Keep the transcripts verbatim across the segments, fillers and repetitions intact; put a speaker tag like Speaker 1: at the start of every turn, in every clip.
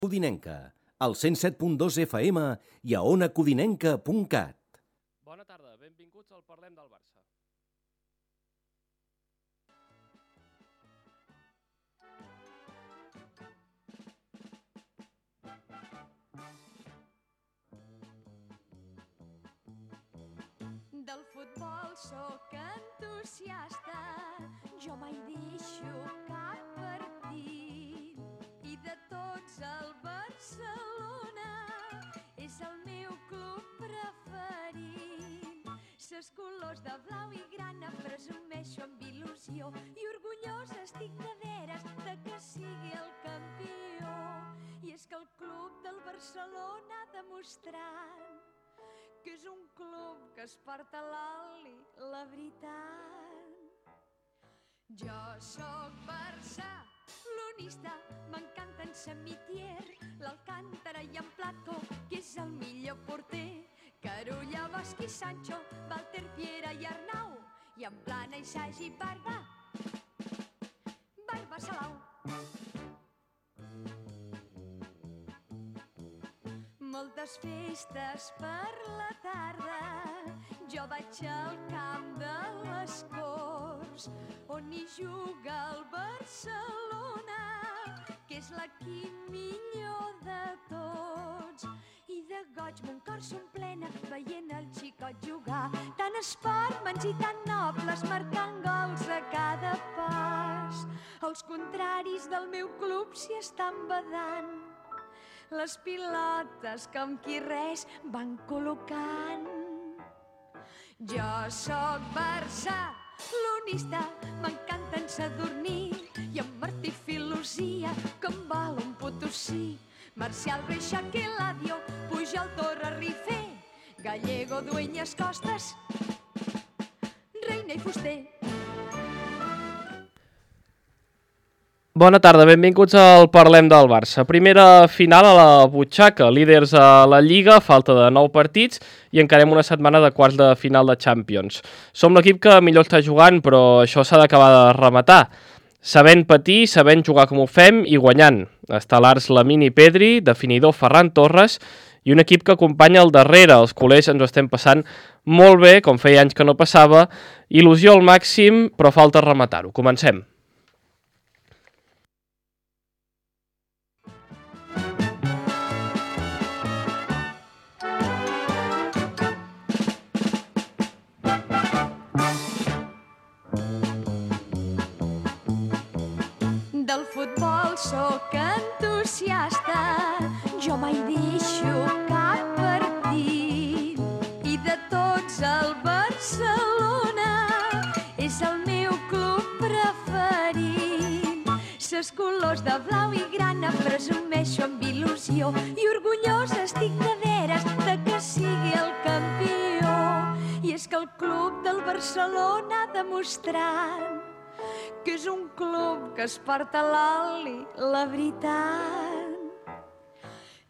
Speaker 1: Codinenca, al cent set punt dos F M i a ona codinenca punt cat.
Speaker 2: Bona tarda, benvinguts al Parlem del Barça.
Speaker 3: Del futbol sóc entusiasta, jo mai deixo cap partit. I de tots el Barcelona és el meu club preferit. Ses colors de blau i grana presumeixo amb il·lusió i orgullosa estic de veres de que sigui el campió. I és que el club del Barcelona ha demostrat que és un club que es porta a l'oli, la veritat. Jo sóc barcelonista, m'encanta en Samitier, l'Alcántara i en Plató, que és el millor porter. Carulla, Bosch i Sancho, Walter, Piera i Arnau, i en Plana i Sagi, Barba, Barba Salau. Moltes festes per la tarda, jo vaig al camp de les Corts, on hi juga el Barcelona, que és l'equip millor de tots. I de goig mon cor s'omplena veient el xicot jugar, tan esportmans i tan nobles marcant gols a cada pas. Els contraris del meu club s'hi estan badant les pilotes que amb qui res van col·locant. Jo sóc barcelonista, m'encanta en Sadurní i en Martí Filosia, que em val un Potosí. Marcial, Reixac i Eladio, Pujol, Torra, Rifé, Gallego, Dueñas, Costas, Reina i Fuster.
Speaker 2: Bona tarda, benvinguts al Parlem del Barça. Primera final a la butxaca, líders a la Lliga, falta de nou partits i encarem una setmana de quarts de final de Champions. Som l'equip que millor està jugant, però això s'ha d'acabar de rematar. Sabent patir, sabent jugar com ho fem i guanyant. Estel·lars Lamine i Pedri, definidor Ferran Torres i un equip que acompanya al darrere. Els culers ens ho estem passant molt bé, com feia anys que no passava. Il·lusió al màxim, però falta rematar-ho. Comencem.
Speaker 3: Del futbol sóc entusiasta, jo mai deixo cap partit. I de tots el Barcelona és el meu club preferit. Ses colors de blau i grana presumeixo amb il·lusió i orgullosa estic de veres de que sigui el campió. I és que el club del Barcelona ha demostrat que és un club que es porta a l'oli, la veritat.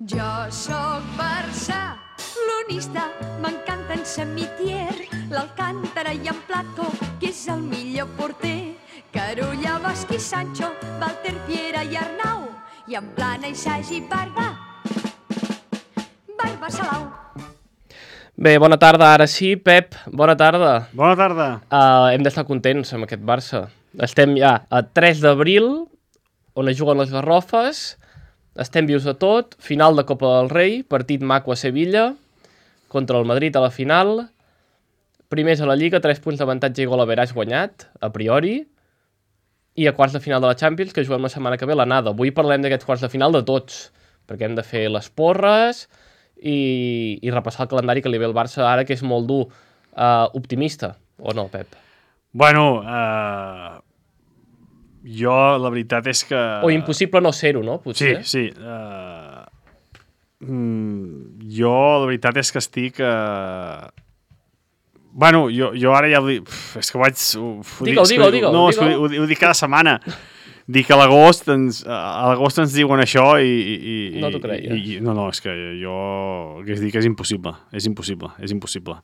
Speaker 3: Jo sóc barcelonista, m'encanta en Samitier, l'Alcántara i en Plató, que és el millor porter. Carulla, Bosch i Sancho, Walter, Piera i Arnau, i en Plana i Sagi, Barba, Barba Salau.
Speaker 2: Bé, bona tarda, ara sí. Pep, bona tarda.
Speaker 4: Bona tarda.
Speaker 2: Uh, hem d'estar contents amb aquest Barça. Estem ja a tres d'abril, on es juguen les Garrofes, estem vius a tot, final de Copa del Rei, partit maco a Sevilla, contra el Madrid a la final, primers a la Lliga, tres punts d'avantatge i gol average guanyat, a priori, i a quarts de final de la Champions, que juguem la setmana que ve l'anada. Avui parlem d'aquests quarts de final de tots, perquè hem de fer les porres i, i repassar el calendari que li ve el Barça ara, que és molt dur. Uh, optimista, o no, Pep?
Speaker 4: Bueno, uh, jo la veritat és que...
Speaker 2: O impossible no ser-ho, no? Potser.
Speaker 4: Sí, sí. Uh, mm, jo la veritat és que estic... Uh... Bueno, jo, jo ara ja... Uf, és que vaig... Uf,
Speaker 2: digue-ho, digue-ho, digue-ho.
Speaker 4: No,
Speaker 2: digue-ho.
Speaker 4: Ho, ho dic cada setmana. Dic que a l'agost ens, a l'agost ens diuen això i... i
Speaker 2: no t'ho creia.
Speaker 4: I, no, no, és que jo... Que és dir que és impossible. És impossible, és impossible.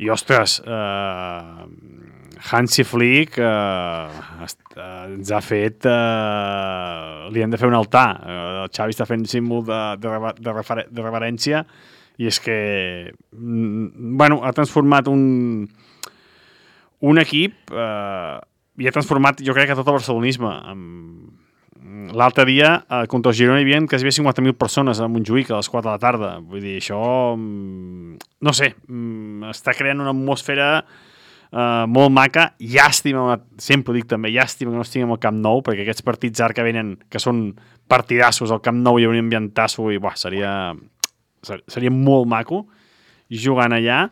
Speaker 4: I, ostres, uh, Hansi Flick uh, est, uh, ens ha fet... Uh, li hem de fer un altar. Uh, el Xavi està fent símbol de, de, de, refer de reverència i és que mm, bueno, ha transformat un, un equip uh, i ha transformat, jo crec, que tot el barcelonisme. L'altre dia, eh, contra el Girona hi havia quasi cinquanta mil persones a Montjuïc a les quatre de la tarda. Vull dir, això, mm, no sé, mm, està creant una atmosfera eh, molt maca. Llàstima, sempre dic també, llàstima que no estiguem al Camp Nou, perquè aquests partits ara que venen, que són partidassos al Camp Nou, hi hauria un ambientasso i buah, seria, seria molt maco jugant allà.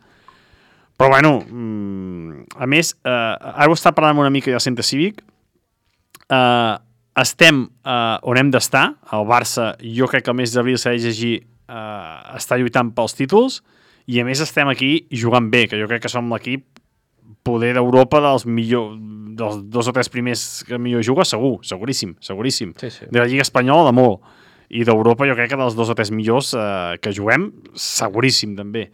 Speaker 4: Però, bueno, mm, a més, eh, ara ho està parlant una mica del centre cívic, eh, estem eh, on hem d'estar, el Barça, jo crec que el mes d'abril s'ha de llegir, eh, està lluitant pels títols, i a més estem aquí jugant bé, que jo crec que som l'equip poder d'Europa dels millor, dels dos o tres primers que millor juga, segur, seguríssim, seguríssim.
Speaker 2: Sí, sí.
Speaker 4: De la Lliga Espanyola, de molt. I d'Europa jo crec que dels dos o tres millors eh, que juguem, seguríssim també.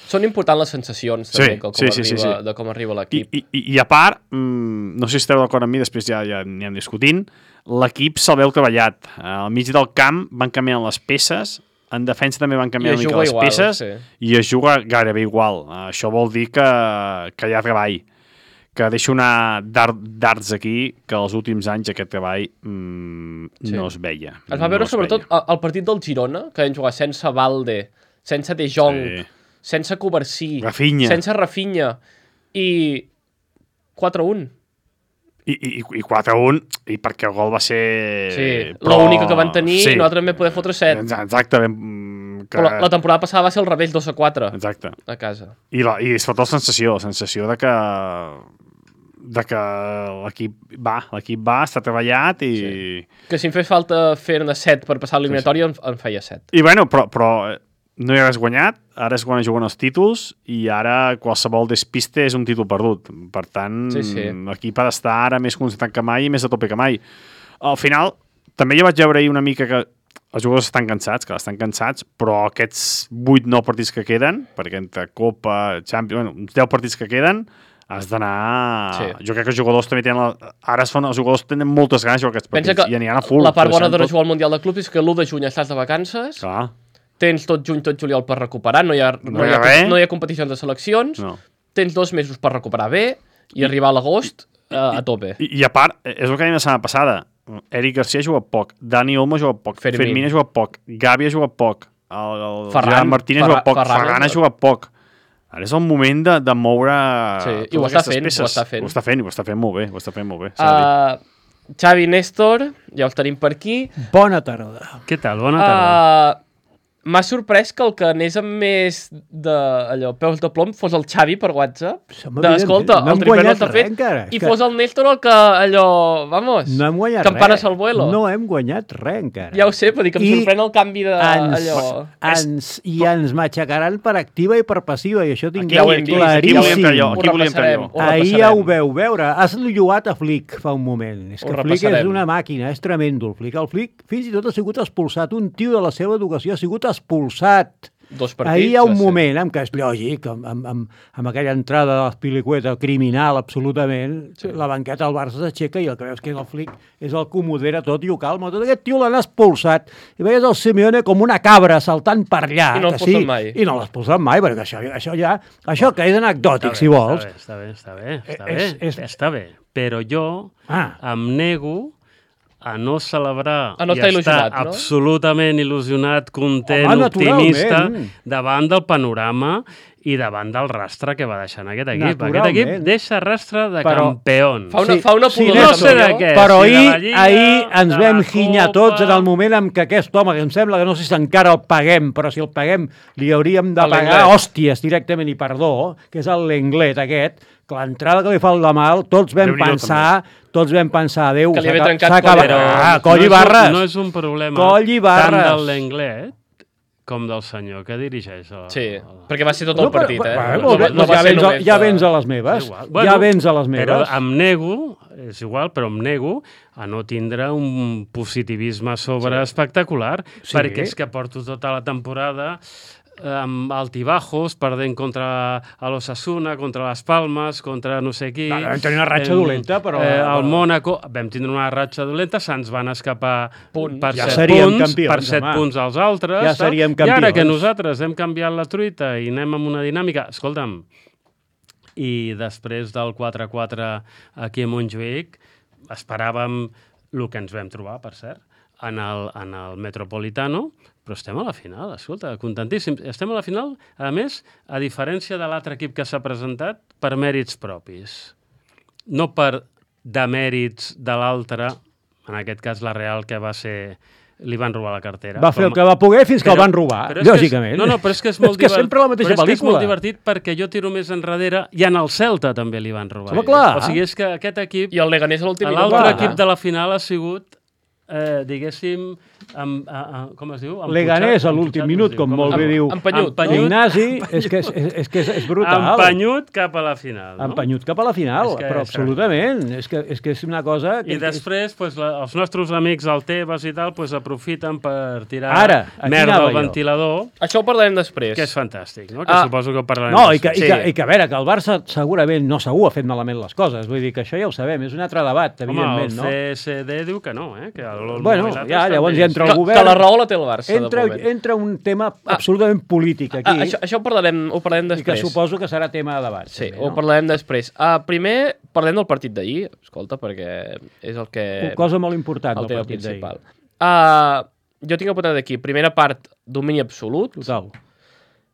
Speaker 2: Són importants les sensacions també,
Speaker 4: Sí,
Speaker 2: com
Speaker 4: sí, sí,
Speaker 2: arriba,
Speaker 4: sí, sí.
Speaker 2: de com arriba
Speaker 4: I,
Speaker 2: l'equip.
Speaker 4: i, I a part, mmm, no sé si esteu d'acord amb mi, després ja, ja n'hi hem discutint, l'equip se'l veu treballat. Al mig del camp van canviant les peces, en defensa també van canviant una mica les
Speaker 2: igual,
Speaker 4: peces,
Speaker 2: sí.
Speaker 4: i es juga gairebé igual. Uh, això vol dir que, que hi ha treball, que deixo anar dards aquí, que els últims anys aquest treball mm,
Speaker 2: Sí.
Speaker 4: no es veia.
Speaker 2: Es va veure
Speaker 4: no es
Speaker 2: sobretot
Speaker 4: veia.
Speaker 2: al partit del Girona, que vam jugar sense Valde, sense De Jong,
Speaker 4: Sí.
Speaker 2: sense Covarsí,
Speaker 4: Rafinha.
Speaker 2: sense Rafinha, i quatre a un.
Speaker 4: I, i, i quatre a un, i perquè el gol va ser...
Speaker 2: Sí,
Speaker 4: però-
Speaker 2: l'única que van tenir,
Speaker 4: sí.
Speaker 2: i nosaltres també poder fotre set.
Speaker 4: Exacte, ben, que...
Speaker 2: Però la, la temporada passada va ser al revés, dos a quatre,
Speaker 4: Exacte.
Speaker 2: a casa.
Speaker 4: I, la, i sobretot la sensació, la sensació de que de que l'equip va, l'equip va, està treballat i...
Speaker 2: Sí. Que si em fes falta fer-ne set per passar l'eliminatòria, sí, sí. en, en feia set.
Speaker 4: I bueno, però, però no hi ha res guanyat, ara és quan juguen els títols i ara qualsevol despiste és un títol perdut. Per tant,
Speaker 2: Sí, sí.
Speaker 4: l'equip ha d'estar ara més concentrat que mai i més a tope que mai. Al final, també jo vaig veure ahir una mica que els jugadors estan cansats, que estan cansats, però aquests vuit nou partits que queden, perquè entre Copa, Champions, bueno, uns deu partits que queden, has d'anar...
Speaker 2: Sí.
Speaker 4: Jo crec que els jugadors també tenen... La... Ara es fan... els jugadors tenen moltes ganes de jugar aquests
Speaker 2: Pensa
Speaker 4: partits
Speaker 2: que
Speaker 4: i aniran a full.
Speaker 2: la part bona de
Speaker 4: tot...
Speaker 2: jugar al Mundial de Clubs és que l'u de juny estàs de vacances,
Speaker 4: Clar,
Speaker 2: tens tot juny, tot juliol per recuperar, no hi ha, no
Speaker 4: No hi
Speaker 2: hi
Speaker 4: ha
Speaker 2: ha,
Speaker 4: res.
Speaker 2: no hi ha competicions de seleccions,
Speaker 4: no.
Speaker 2: tens dos mesos per recuperar bé i arribar a l'agost eh, a tope.
Speaker 4: I, I a part, és el que dèiem la setmana passada, Eric Garcia ha jugat poc, Dani Olmo ha jugat poc,
Speaker 2: Fermín.
Speaker 4: Fermín ha jugat poc, Gavi ha jugat poc, el, el
Speaker 2: Ferran,
Speaker 4: Gerard Martín ha
Speaker 2: Ferran-
Speaker 4: jugat poc,
Speaker 2: Ferran-
Speaker 4: Ferran ha jugat poc. Ara és el moment de, de moure
Speaker 2: Sí, i
Speaker 4: totes
Speaker 2: ho està
Speaker 4: aquestes
Speaker 2: fent,
Speaker 4: peces.
Speaker 2: ho està fent.
Speaker 4: Ho està fent, i ho està fent molt bé, ho està fent molt bé. s'ha de dir.
Speaker 2: Uh, Xavi Néstor, ja els tenim per aquí.
Speaker 5: Bona tarda.
Speaker 6: Què tal? Bona tarda.
Speaker 2: Uh, M'ha sorprès que el que anés amb més de allò, peus de plom fos el Xavi per WhatsApp.
Speaker 5: Som
Speaker 2: De, escolta,
Speaker 5: no
Speaker 2: el
Speaker 5: hem
Speaker 2: triple no
Speaker 5: guanyat
Speaker 2: està
Speaker 5: res
Speaker 2: fet.
Speaker 5: encara.
Speaker 2: I
Speaker 5: És que
Speaker 2: fos el Néstor el que allò, vamos,
Speaker 5: no hem guanyat
Speaker 2: campanes
Speaker 5: res.
Speaker 2: al vuelo.
Speaker 5: No hem guanyat res encara.
Speaker 2: Ja ho sé, però dic que em
Speaker 5: I
Speaker 2: sorprèn el canvi de
Speaker 5: ens,
Speaker 2: allò...
Speaker 5: ens, I ens matxacaran per activa i per passiva, i això
Speaker 4: Aquí,
Speaker 5: tingueu
Speaker 2: ja ho hem vist,
Speaker 4: aquí volíem
Speaker 5: claríssim.
Speaker 4: entrar jo,
Speaker 2: Ho
Speaker 4: aquí volíem entrar
Speaker 2: repassarem.
Speaker 4: jo.
Speaker 2: Ho
Speaker 5: Ahir
Speaker 2: repassarem.
Speaker 5: ja ho veu veure. Has lloat a Flick fa un moment. És
Speaker 2: Ho
Speaker 5: que Flick és
Speaker 2: repassarem.
Speaker 5: una màquina, és tremendo el Flick. El Flick fins i tot ha sigut expulsat. Un tio de la seva educació ha sigut expulsat.
Speaker 2: Dos partits.
Speaker 5: Ahir hi ha un
Speaker 2: va ser.
Speaker 5: moment en què és lògic, amb, amb, amb, amb aquella entrada de l'Espilicueta criminal absolutament, sí. La banqueta del Barça s'aixeca i el que veus que és el Flick és el que ho modera tot i ho calma. Tot aquest tio l'han expulsat i veies el Simeone com una cabra saltant per allà.
Speaker 2: I no
Speaker 5: que
Speaker 2: l'expulsen
Speaker 5: sí,
Speaker 2: mai.
Speaker 5: I no l'expulsen mai, perquè això, això ja... Això que és anecdòtic,
Speaker 6: Està
Speaker 5: si
Speaker 6: bé,
Speaker 5: vols.
Speaker 6: Està bé, està bé, està
Speaker 5: Eh,
Speaker 6: bé,
Speaker 5: és- és-
Speaker 6: està bé. Però jo
Speaker 5: Ah.
Speaker 6: em nego a no celebrar
Speaker 2: A no
Speaker 6: i
Speaker 2: estar
Speaker 6: estar
Speaker 2: il·lusionat, no?
Speaker 6: absolutament il·lusionat, content,
Speaker 5: Home,
Speaker 6: optimista,
Speaker 5: naturalment.
Speaker 6: davant del panorama i davant del rastre que va deixar en aquest equip. Aquest
Speaker 5: Naturalment.
Speaker 6: equip deixa rastre de
Speaker 2: Però
Speaker 6: campions.
Speaker 2: Fa una,
Speaker 5: Sí,
Speaker 2: fa una
Speaker 5: sí,
Speaker 2: pudor
Speaker 6: no
Speaker 2: de
Speaker 6: sé de
Speaker 2: campió.
Speaker 6: què.
Speaker 5: Però
Speaker 6: si de
Speaker 5: ahir,
Speaker 6: la Lliga,
Speaker 5: ahir ens
Speaker 6: de
Speaker 5: vam
Speaker 6: la
Speaker 5: ginyar
Speaker 6: Copa.
Speaker 5: tots en el moment en què aquest home, que em sembla que no sé si encara el paguem, però si el paguem li hauríem de
Speaker 2: A
Speaker 5: pagar
Speaker 2: l'Englet.
Speaker 5: hòsties directament i perdó, que és el l'Englet aquest, que l'entrada que li fa el de mal, tots vam
Speaker 4: Déu-n'hi-do,
Speaker 5: pensar, tots vam pensar, adéu,
Speaker 2: Que li
Speaker 5: s'ha
Speaker 2: havia
Speaker 5: aca-
Speaker 2: trencat
Speaker 5: s'ha acabat.
Speaker 2: coll.
Speaker 5: Ah, coll
Speaker 6: no
Speaker 5: i
Speaker 6: és un-
Speaker 5: barres.
Speaker 6: No és un problema
Speaker 5: Coll i barres.
Speaker 6: tant del Lenglet com del senyor que dirigeix. El,
Speaker 2: Sí,
Speaker 6: el...
Speaker 2: perquè va ser tot el
Speaker 5: No, però-
Speaker 2: partit, eh?
Speaker 5: bueno,
Speaker 2: No,
Speaker 5: molt bé,
Speaker 2: va- no
Speaker 5: doncs
Speaker 2: va
Speaker 5: ja,
Speaker 2: ser
Speaker 5: vens, a-
Speaker 2: només
Speaker 5: ja
Speaker 2: de-
Speaker 5: vens a les
Speaker 6: És
Speaker 5: meves.
Speaker 6: igual.
Speaker 5: Ja vens a les
Speaker 6: Però
Speaker 5: meves.
Speaker 6: em nego, és igual, però em nego a no tindre un positivisme sobre sí. espectacular,
Speaker 5: Sí.
Speaker 6: perquè és que porto tota la temporada amb altibajos, perdent contra l'Osasuna, contra les Palmes, contra no sé qui...
Speaker 5: No, vam tenir una ratxa dolenta, però...
Speaker 6: Eh, el Mònaco, vam tindre una ratxa dolenta, se'ns van escapar
Speaker 2: Punt.
Speaker 6: per
Speaker 5: Ja
Speaker 6: set
Speaker 5: seríem
Speaker 6: punts,
Speaker 5: campions,
Speaker 6: per set
Speaker 5: home.
Speaker 6: punts als altres.
Speaker 5: Ja seríem
Speaker 6: I ara que
Speaker 5: campions.
Speaker 6: nosaltres hem canviat la truita i anem amb una dinàmica... Escolta'm, i després del quatre a quatre aquí a Montjuïc, esperàvem el que ens vam trobar, per cert, en el, en el Metropolitano, però estem a la final, escolta, contentíssims. Estem a la final, a més, a diferència de l'altre equip que s'ha presentat, per mèrits propis. No per demèrits de l'altre, en aquest cas la Real, que va ser... li van robar la cartera.
Speaker 5: Va fer el que va poder fins que
Speaker 6: Però-
Speaker 5: el van robar,
Speaker 6: però és que és-
Speaker 5: lògicament.
Speaker 6: No, no, però és que és molt
Speaker 5: És que
Speaker 6: divert-
Speaker 5: sempre la mateixa
Speaker 6: però és que és
Speaker 5: pel·lícula.
Speaker 6: molt divertit perquè jo tiro més enrere i en el Celta també li van robar.
Speaker 5: Home, clar.
Speaker 6: O sigui, és que aquest equip,
Speaker 2: I el Leganés a l'últim minut.
Speaker 6: l'altre
Speaker 5: clar.
Speaker 6: equip de la final ha sigut, eh, diguéssim, amb, a, a, com es diu? Emputxat-
Speaker 5: Leganés a l'últim
Speaker 6: emputxat,
Speaker 5: minut,
Speaker 6: es diu,
Speaker 5: com
Speaker 6: es
Speaker 5: molt bé diu
Speaker 2: Empenyut, no?
Speaker 5: Ignasi, és que és, és, que és, és brutal.
Speaker 6: Empenyut cap a la final. No?
Speaker 5: Empenyut cap a la final,
Speaker 6: És que
Speaker 5: però
Speaker 6: és
Speaker 5: absolutament. És que, és que és una cosa... Que
Speaker 6: I després, pues, la, els nostres amics, el Tebas i tal, pues, aprofiten per tirar
Speaker 5: Ara, aquí
Speaker 6: merda
Speaker 5: anava
Speaker 6: al
Speaker 5: jo.
Speaker 6: ventilador,
Speaker 2: Això ho parlarem després.
Speaker 6: que és fantàstic, no? Que
Speaker 2: Ah.
Speaker 6: suposo que ho parlarem
Speaker 5: No, i que, i,
Speaker 2: Sí.
Speaker 5: que, i que a veure, que el Barça segurament, no segur, ha fet malament les coses. Vull dir que això ja ho sabem, és un altre debat,
Speaker 6: Home,
Speaker 5: evidentment,
Speaker 6: el
Speaker 5: no?
Speaker 6: C S D diu que no, eh? Que el, el
Speaker 5: Bueno,
Speaker 6: i l'altre
Speaker 5: ja,
Speaker 6: estan
Speaker 5: llavors
Speaker 6: bé.
Speaker 5: ja entra
Speaker 2: que,
Speaker 5: el govern...
Speaker 2: que la raó la té el Barça,
Speaker 5: Entra,
Speaker 2: de moment.
Speaker 5: entra un tema absolutament polític aquí,
Speaker 2: Ah, això, això ho parlarem, ho parlarem
Speaker 5: i que
Speaker 2: després.
Speaker 5: suposo que serà tema de debat.
Speaker 2: Sí,
Speaker 5: també,
Speaker 2: ho
Speaker 5: no?
Speaker 2: parlarem després. Uh, primer, parlem del partit d'ahir, escolta, perquè és el que...
Speaker 5: Una cosa molt important
Speaker 2: el
Speaker 5: del
Speaker 2: tema
Speaker 5: partit d'ahir.
Speaker 2: principal. Uh, jo tinc apuntat aquí, primera part, domini absolut.
Speaker 5: Total.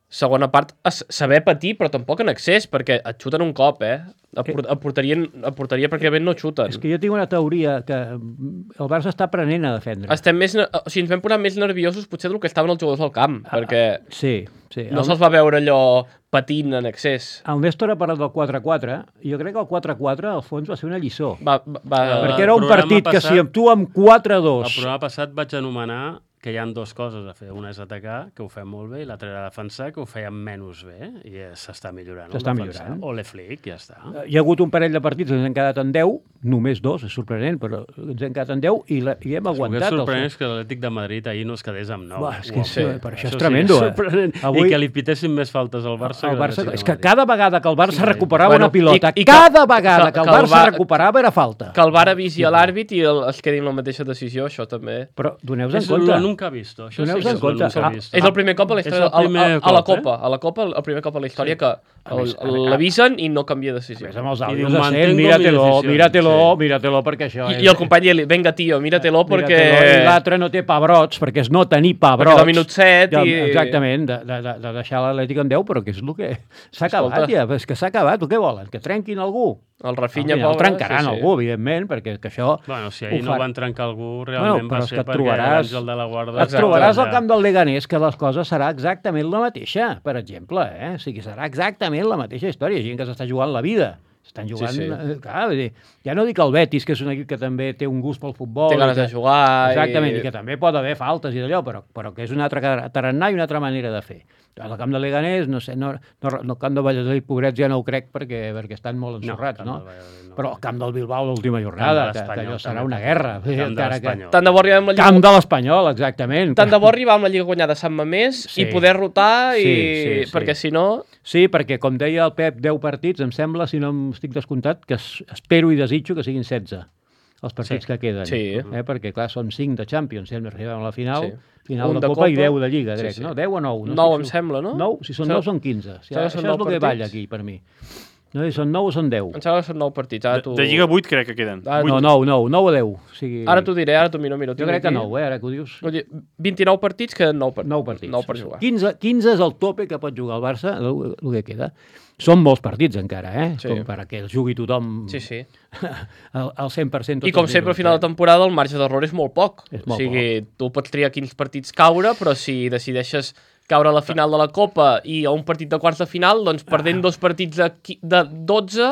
Speaker 2: Segona part, es- saber patir, però tampoc en excés, perquè et xuten un cop, eh? A, por a, porteria, a porteria pràcticament no xuten.
Speaker 5: És que jo tinc una teoria que el Barça està aprenent a defendre.
Speaker 2: Estem més, ne- o sigui, ens vam posar més nerviosos potser del que estaven els jugadors al camp,
Speaker 5: Ah,
Speaker 2: perquè
Speaker 5: Sí, sí.
Speaker 2: no
Speaker 5: El-
Speaker 2: se'ls va veure allò patint en excés.
Speaker 5: El Néstor ha parlat del quatre a quatre, i jo crec que el quatre a quatre, al fons, va ser una lliçó.
Speaker 2: Va, va, va,
Speaker 5: Perquè era un
Speaker 6: programa
Speaker 5: partit que
Speaker 6: passat-
Speaker 5: si tu amb quatre a
Speaker 6: El
Speaker 5: dos...
Speaker 6: programa passat vaig anomenar que hi ha dues coses a fer. Una és atacar, que ho fem molt bé, i l'altra era defensar, que ho fèiem menys bé, i eh, s'està millorant. el
Speaker 5: S'està
Speaker 6: defensar.
Speaker 5: millorant.
Speaker 6: O l'Eflic, ja està.
Speaker 5: Hi ha hagut un parell de partits que ens han quedat en deu, només dos, és sorprenent, però ens han quedat en deu i, la, i hem
Speaker 6: El que és
Speaker 5: aguantat.
Speaker 6: sorprenent és que l'Atlètic de Madrid ahir no es quedés amb nou.
Speaker 5: Buah, és que
Speaker 6: Uau.
Speaker 5: és, sí, per això és
Speaker 6: sí
Speaker 5: tremendo,
Speaker 6: que
Speaker 5: eh?
Speaker 6: és sorprenent.
Speaker 5: Avui-
Speaker 6: I que li pitessin més faltes al Barça.
Speaker 5: El
Speaker 6: que
Speaker 5: Barça,
Speaker 6: l'Atlètic
Speaker 5: és
Speaker 6: de
Speaker 5: que
Speaker 6: Madrid.
Speaker 5: cada vegada que el Barça
Speaker 6: Sí,
Speaker 5: recuperava
Speaker 2: bueno,
Speaker 5: una pilota,
Speaker 2: i- i que-
Speaker 5: cada vegada
Speaker 2: que-
Speaker 5: que el
Speaker 2: que el
Speaker 5: Barça
Speaker 2: Va-
Speaker 5: recuperava era falta.
Speaker 2: que el V A R avisi a l'àrbit i el, es quedi amb la mateixa decisió, això també...
Speaker 5: Però doneu-vos en
Speaker 6: És
Speaker 5: compte.
Speaker 6: lo nunca visto. Això
Speaker 5: Doneu-vos
Speaker 6: sí que
Speaker 5: en
Speaker 6: és lo
Speaker 5: compte.
Speaker 6: nunca
Speaker 5: Ah,
Speaker 6: visto.
Speaker 2: És el primer cop a la
Speaker 6: És
Speaker 2: història,
Speaker 6: el
Speaker 2: a, a,
Speaker 6: primer
Speaker 2: a, la
Speaker 6: cop,
Speaker 2: Copa,
Speaker 6: eh?
Speaker 2: a la Copa, el primer cop a la història
Speaker 5: Sí.
Speaker 2: que el-
Speaker 5: més, a
Speaker 2: el-
Speaker 5: més,
Speaker 2: l'avisen i no canvia decisió.
Speaker 5: Ves amb els
Speaker 6: I
Speaker 5: àudios
Speaker 6: diu,
Speaker 5: de cent,
Speaker 6: mantengo mi
Speaker 5: míratelo,
Speaker 6: decisió.
Speaker 5: míratelo,
Speaker 6: Sí.
Speaker 5: míratelo, perquè això
Speaker 2: I, I el company diu, venga, tio, míratelo, perquè...
Speaker 5: Míratelo, i l'altre no té pebrots, perquè és no tenir pebrots.
Speaker 2: Perquè del minut set
Speaker 5: de,
Speaker 2: i-
Speaker 5: Exactament, de, de, de, de deixar l'Atlètic en deu, però que és el que s'ha acabat
Speaker 2: Escolta.
Speaker 5: ja, és que s'ha acabat, o què volen? Que trenquin algú?
Speaker 2: El
Speaker 5: Al
Speaker 2: Rafinha,
Speaker 5: final
Speaker 2: pobre...
Speaker 5: trencaran
Speaker 2: sí, sí.
Speaker 5: algú, evidentment, perquè que això...
Speaker 6: Bueno, si
Speaker 5: ho
Speaker 6: ahir no
Speaker 5: fa-
Speaker 6: van trencar algú,
Speaker 5: Bueno,
Speaker 6: realment
Speaker 5: però
Speaker 6: va
Speaker 5: és
Speaker 6: ser
Speaker 5: que et
Speaker 6: perquè
Speaker 5: trobaràs-
Speaker 6: l'Àngel de la Guarda...
Speaker 5: Et
Speaker 2: Exacte.
Speaker 5: trobaràs al camp del Leganés que les coses serà exactament la mateixa, per exemple, eh? O sigui, serà exactament la mateixa història, gent que s'està jugant la vida. Estan jugant...
Speaker 2: Sí, sí.
Speaker 5: eh, Clar, vull dir, ja no dic el Betis, que és un equip que també té un gust pel futbol.
Speaker 2: Té
Speaker 5: i
Speaker 2: ganes
Speaker 5: que-
Speaker 2: de jugar...
Speaker 5: Exactament, i...
Speaker 2: I...
Speaker 5: que també pot haver faltes i d'allò, però, però que és un altre car- tarannà i una altra manera de fer. Al camp de Leganés, no sé, no, no, no el camp de Valladolid, pobrets, ja no ho crec perquè, perquè estan molt ensorrats,
Speaker 6: camp
Speaker 5: no?
Speaker 6: del Valladolid no.
Speaker 5: Però el camp del Bilbao, l'última jornada,
Speaker 6: Camp de
Speaker 5: que, que
Speaker 6: l'Espanyol,
Speaker 5: allò serà
Speaker 6: també.
Speaker 5: una guerra.
Speaker 6: Camp de
Speaker 5: encara que...
Speaker 6: l'Espanyol.
Speaker 2: Tant de bo arribem amb la Lliga...
Speaker 5: Camp de l'Espanyol, exactament.
Speaker 2: Tant de bo arribar amb la Lliga guanyada a Sant Mamés
Speaker 5: Sí.
Speaker 2: i poder rotar, i...
Speaker 5: Sí, sí, sí.
Speaker 2: perquè si no...
Speaker 5: Sí, perquè, com deia el Pep, deu partits, em sembla, si no em estic descomptat, que es, espero i desitjo que siguin setze els partits
Speaker 6: Sí.
Speaker 5: que queden.
Speaker 2: Sí.
Speaker 5: Eh? Perquè, clar, són cinc de Champions, si hem arribem a la final,
Speaker 2: Sí.
Speaker 5: final
Speaker 2: Un
Speaker 5: de,
Speaker 2: de
Speaker 5: Copa, i
Speaker 2: Copa.
Speaker 5: deu de Lliga,
Speaker 2: Sí,
Speaker 5: crec,
Speaker 2: sí.
Speaker 5: no? deu o nou? No
Speaker 2: Nou,
Speaker 5: estic
Speaker 2: em
Speaker 5: segur.
Speaker 2: sembla, no?
Speaker 5: nou? Si són
Speaker 2: Sembla-
Speaker 5: nou, són quinze. O sigui,
Speaker 2: sembla que
Speaker 5: això
Speaker 2: són
Speaker 5: és
Speaker 2: nou
Speaker 5: el que
Speaker 2: partits.
Speaker 5: balla aquí, per mi. No, si són nou o són deu?
Speaker 2: Em sembla que són nou partits. Ara
Speaker 4: De,
Speaker 2: tu...
Speaker 4: de Lliga vuit crec que queden.
Speaker 2: Ah,
Speaker 4: Vuit.
Speaker 5: No, nou, nou, nou o deu. O sigui,
Speaker 2: Ara t'ho diré, ara t'ho miro, miro.
Speaker 5: jo crec que nou, eh, ara que ho dius.
Speaker 2: vint-i-nou partits, queden nou, part...
Speaker 5: Nou partits.
Speaker 2: nou per jugar.
Speaker 5: quinze, quinze és el tope que pot jugar el Barça, el, el que queda. Són molts partits encara, eh?
Speaker 2: Sí.
Speaker 5: Com perquè els jugui tothom
Speaker 2: Sí, sí.
Speaker 5: al, al cent per cent.
Speaker 2: I com sempre, al final de temporada, el marge d'error és molt poc.
Speaker 5: És
Speaker 2: O
Speaker 5: molt
Speaker 2: sigui, tu pots triar quins partits caure, però si decideixes caure a la final de la Copa i a un partit de quarts de final, doncs perdent dos partits de, qui- de dotze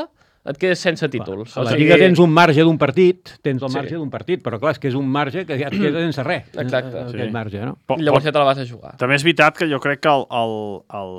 Speaker 2: et quedes sense títols.
Speaker 5: A la Lliga tens un marge d'un partit, tens el
Speaker 2: Sí.
Speaker 5: marge d'un partit, però clar, és que és un marge que ja et queda sense res.
Speaker 2: Exacte.
Speaker 5: eh,
Speaker 4: Sí.
Speaker 5: Aquest marge, no?
Speaker 4: Po-
Speaker 2: Llavors
Speaker 4: po-
Speaker 2: ja te la vas a jugar.
Speaker 4: També és veritat que jo crec que el, el, el,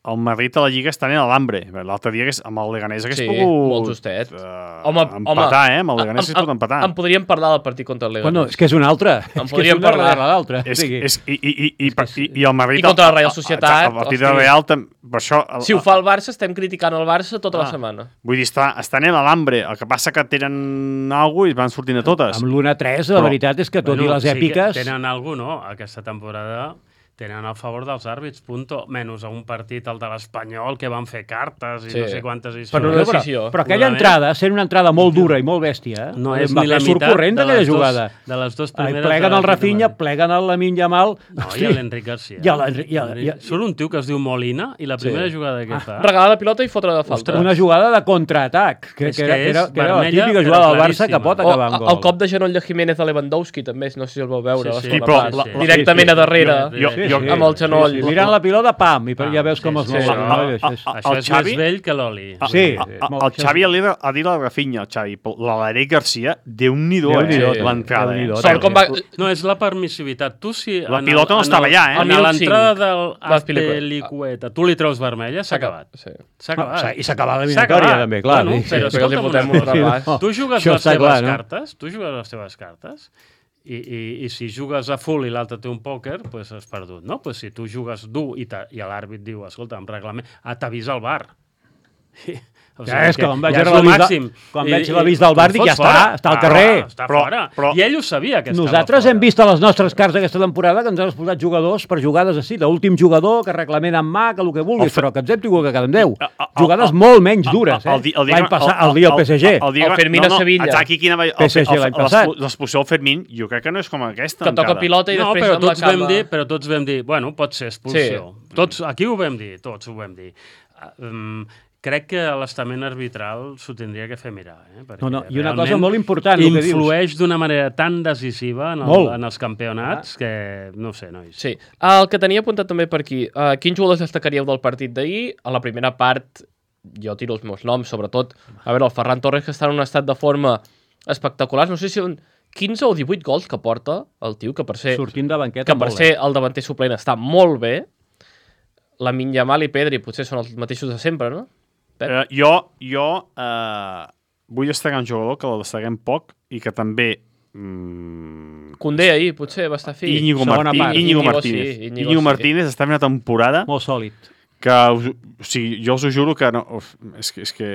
Speaker 4: el Madrid a la Lliga està en l'Alambre. L'altre dia amb el Leganés hagués
Speaker 2: Sí,
Speaker 4: pogut
Speaker 2: molt justet.
Speaker 4: Uh,
Speaker 2: Home,
Speaker 4: empatar,
Speaker 2: home,
Speaker 4: eh? Amb el Leganés
Speaker 2: em-
Speaker 4: es pot empatar.
Speaker 2: En podríem parlar del partit contra el Leganés.
Speaker 5: Bueno, és que és una altra.
Speaker 2: En
Speaker 5: És que
Speaker 2: podríem
Speaker 5: és una
Speaker 2: parlar.
Speaker 5: darrere l'altra.
Speaker 4: És,
Speaker 5: O sigui,
Speaker 4: és, i, i, i, i, i, i el Madrid...
Speaker 2: I contra la Real Societat,
Speaker 4: El partit de
Speaker 2: hosti.
Speaker 4: Real... tam- Per això, el,
Speaker 2: Si ho fa el Barça, estem criticant el Barça tota la
Speaker 4: Ah.
Speaker 2: setmana.
Speaker 4: Vull dir, està, estan en l'Alambre. El que passa que tenen alguna cosa i van sortint a totes.
Speaker 5: amb l'una tres, la
Speaker 4: Però-
Speaker 5: veritat és que tot i les
Speaker 6: sí que
Speaker 5: èpiques...
Speaker 6: tenen algú, no? Aquesta temporada tenen a favor dels àrbits, punto. Menys a un partit, el de l'Espanyol, que van fer cartes i
Speaker 2: Sí.
Speaker 6: no sé quantes
Speaker 2: Per
Speaker 6: històries.
Speaker 2: una
Speaker 5: Però,
Speaker 2: decisió.
Speaker 5: però aquella
Speaker 6: Una
Speaker 5: entrada, sent una entrada molt dura i molt bèstia,
Speaker 6: No
Speaker 5: eh,
Speaker 6: és
Speaker 5: va
Speaker 6: ni la
Speaker 5: fer
Speaker 6: meitat
Speaker 5: sorcorrent
Speaker 6: de
Speaker 5: aquella
Speaker 6: les, dos,
Speaker 5: jugada.
Speaker 6: de les dues
Speaker 5: Ai,
Speaker 6: primeres...
Speaker 5: pleguen
Speaker 6: de
Speaker 5: el
Speaker 6: l'Atlètic de
Speaker 5: Rafinha,
Speaker 6: Madrid.
Speaker 5: pleguen el Lamine Yamal...
Speaker 6: No,
Speaker 5: Hosti,
Speaker 6: i l'Enric Garcia.
Speaker 5: I l'Enric- i el- i el-
Speaker 6: Surt un tio que es diu Molina i la primera
Speaker 2: Sí.
Speaker 6: jugada que fa...
Speaker 2: Regalar la pilota i fotre de falta.
Speaker 6: Ostres.
Speaker 5: una jugada de contraatac, que,
Speaker 6: És
Speaker 5: que,
Speaker 6: que
Speaker 5: era, que, era,
Speaker 6: és
Speaker 5: que era la
Speaker 6: vermella,
Speaker 5: típica
Speaker 6: però
Speaker 5: jugada del Barça que
Speaker 6: claríssima.
Speaker 5: pot
Speaker 2: O
Speaker 5: acabar en gol.
Speaker 2: el cop de genoll de Jiménez de Lewandowski, també, no sé si el vau veure.
Speaker 6: Sí,
Speaker 2: a la
Speaker 6: sí.
Speaker 2: segona
Speaker 4: Sí, però
Speaker 2: part.
Speaker 4: la- la-
Speaker 2: Directament
Speaker 5: sí, sí.
Speaker 2: a darrere,
Speaker 4: Jo-
Speaker 5: Sí,
Speaker 4: jo-
Speaker 5: sí,
Speaker 2: amb el genoll.
Speaker 5: Sí, sí. Mirant la pilota, pam, i per, ja veus com es
Speaker 6: sí,
Speaker 5: mou.
Speaker 6: sí.
Speaker 5: el genoll,
Speaker 4: Ah,
Speaker 5: això és-
Speaker 4: ah,
Speaker 6: Això
Speaker 4: el
Speaker 6: és
Speaker 4: Xavi-
Speaker 6: més vell que l'oli.
Speaker 5: Sí,
Speaker 4: El,
Speaker 5: molt-
Speaker 4: el Xavi li ha, ha dit al Rafinha, el Xavi, l'Aleric Garcia, Déu-n'hi-do,
Speaker 5: Déu-n'hi-do,
Speaker 4: eh? L'entrada, eh?
Speaker 5: Déu-n'hi-do.
Speaker 2: Sort com va...
Speaker 6: No, és la permissivitat. Tu si...
Speaker 4: La
Speaker 6: en
Speaker 4: pilota no
Speaker 6: en
Speaker 4: estava allà, eh?
Speaker 6: En
Speaker 2: Al minut
Speaker 6: l'entrada
Speaker 2: cinc.
Speaker 6: del
Speaker 2: Vas Pilicueta.
Speaker 6: Azpilicueta, tu li treus vermella, s'ha acabat.
Speaker 2: Sí.
Speaker 6: S'ha acabat.
Speaker 5: Ah, i s'ha acabat
Speaker 6: S'ha
Speaker 5: l'eliminatòria,
Speaker 6: acabat.
Speaker 5: també, clar.
Speaker 6: Bueno,
Speaker 5: Sí,
Speaker 6: però
Speaker 2: sí, perquè els hi
Speaker 6: escolta'm
Speaker 2: fotem
Speaker 6: una
Speaker 2: un
Speaker 6: cosa.
Speaker 2: repàs.
Speaker 6: Tu jugues
Speaker 5: Això
Speaker 6: les
Speaker 5: està
Speaker 6: teves
Speaker 5: clar, no?
Speaker 6: cartes, tu jugues les teves cartes, i, i, i si jugues a full i l'altre té un pòquer, pues has perdut, no? Pues si tu jugues dur i, ta, i l'àrbit diu, escolta, en reglament, ah, t'avisa el bar. O
Speaker 5: Ja és que quan vaig
Speaker 6: ja és
Speaker 5: veure
Speaker 6: lo
Speaker 5: l'avís de-
Speaker 6: màxim.
Speaker 5: quan
Speaker 6: I-
Speaker 5: veig
Speaker 6: i-
Speaker 5: l'avís del bar,
Speaker 6: tu
Speaker 5: dic,
Speaker 6: fots
Speaker 5: ja està,
Speaker 6: fora.
Speaker 5: està al
Speaker 6: Ah,
Speaker 5: carrer.
Speaker 6: Està
Speaker 4: Però-
Speaker 6: fora.
Speaker 4: però-
Speaker 6: I ell ho sabia, que estava
Speaker 5: Nosaltres
Speaker 6: fora.
Speaker 5: hem vist a les nostres cartes aquesta temporada que ens han expulsat jugadors per jugades així, d'últim jugador, que reglament en mà, que el que vulguis,
Speaker 4: El fe-
Speaker 5: però que ens hem tingut que quedar en deu.
Speaker 4: A- a-
Speaker 5: Jugades
Speaker 4: a-
Speaker 5: molt menys dures,
Speaker 4: El
Speaker 5: eh?
Speaker 4: di- el dia
Speaker 5: L'any
Speaker 4: que-
Speaker 5: passat, el dia del P S G.
Speaker 4: El, dia
Speaker 2: El
Speaker 4: que-
Speaker 2: Fermín
Speaker 4: no,
Speaker 2: a
Speaker 4: no,
Speaker 2: Sevilla.
Speaker 4: exacte, aquí quina va...
Speaker 5: P S G l'any passat.
Speaker 4: L'expulsió del Fermín, jo crec que no és com aquesta.
Speaker 2: Que toca
Speaker 4: encara.
Speaker 2: pilota i
Speaker 6: No,
Speaker 2: després
Speaker 6: però
Speaker 2: amb la
Speaker 6: tots, vam
Speaker 2: cama...
Speaker 6: dir, però tots vam dir, bueno, pot ser expulsió. Sí. Tots, aquí ho vam dir, tots ho vam dir. Um, crec que l'estament arbitral s'ho tindria que fer mirar. Eh? Perquè
Speaker 5: No, no, i una
Speaker 6: realment
Speaker 5: cosa molt important, el que dius.
Speaker 6: influeix d'una manera tan decisiva en, el,
Speaker 5: Molt.
Speaker 6: en els campionats que, no ho sé, nois.
Speaker 2: Sí. El que tenia apuntat també per aquí, uh, quins jugadors destacaríeu del partit d'ahir? A la primera part, jo tiro els meus noms, sobretot, a veure, el Ferran Torres, que està en un estat de forma espectacular, no sé si són quinze o divuit gols que porta el tio, que per ser,
Speaker 5: Sortint de banqueta
Speaker 2: que per
Speaker 5: molt
Speaker 2: ser el davanter suplent està molt bé. La Yamal i Pedri potser són els mateixos de sempre, no? Pep?
Speaker 4: Eh, jo jo eh, vull destacar un jugador que el destaquem poc i que també... Mm,
Speaker 2: Condé ahir potser va estar fi.
Speaker 4: Íñigo,
Speaker 5: segona
Speaker 4: Martí,
Speaker 5: part.
Speaker 4: Íñigo
Speaker 2: Íñigo
Speaker 4: Martínez.
Speaker 2: sí, Íñigo
Speaker 4: Íñigo
Speaker 2: sí.
Speaker 4: Martínez està fent una temporada
Speaker 5: Molt sòlid.
Speaker 4: que us, o sigui, jo us ho juro que no, uf, és, que, és que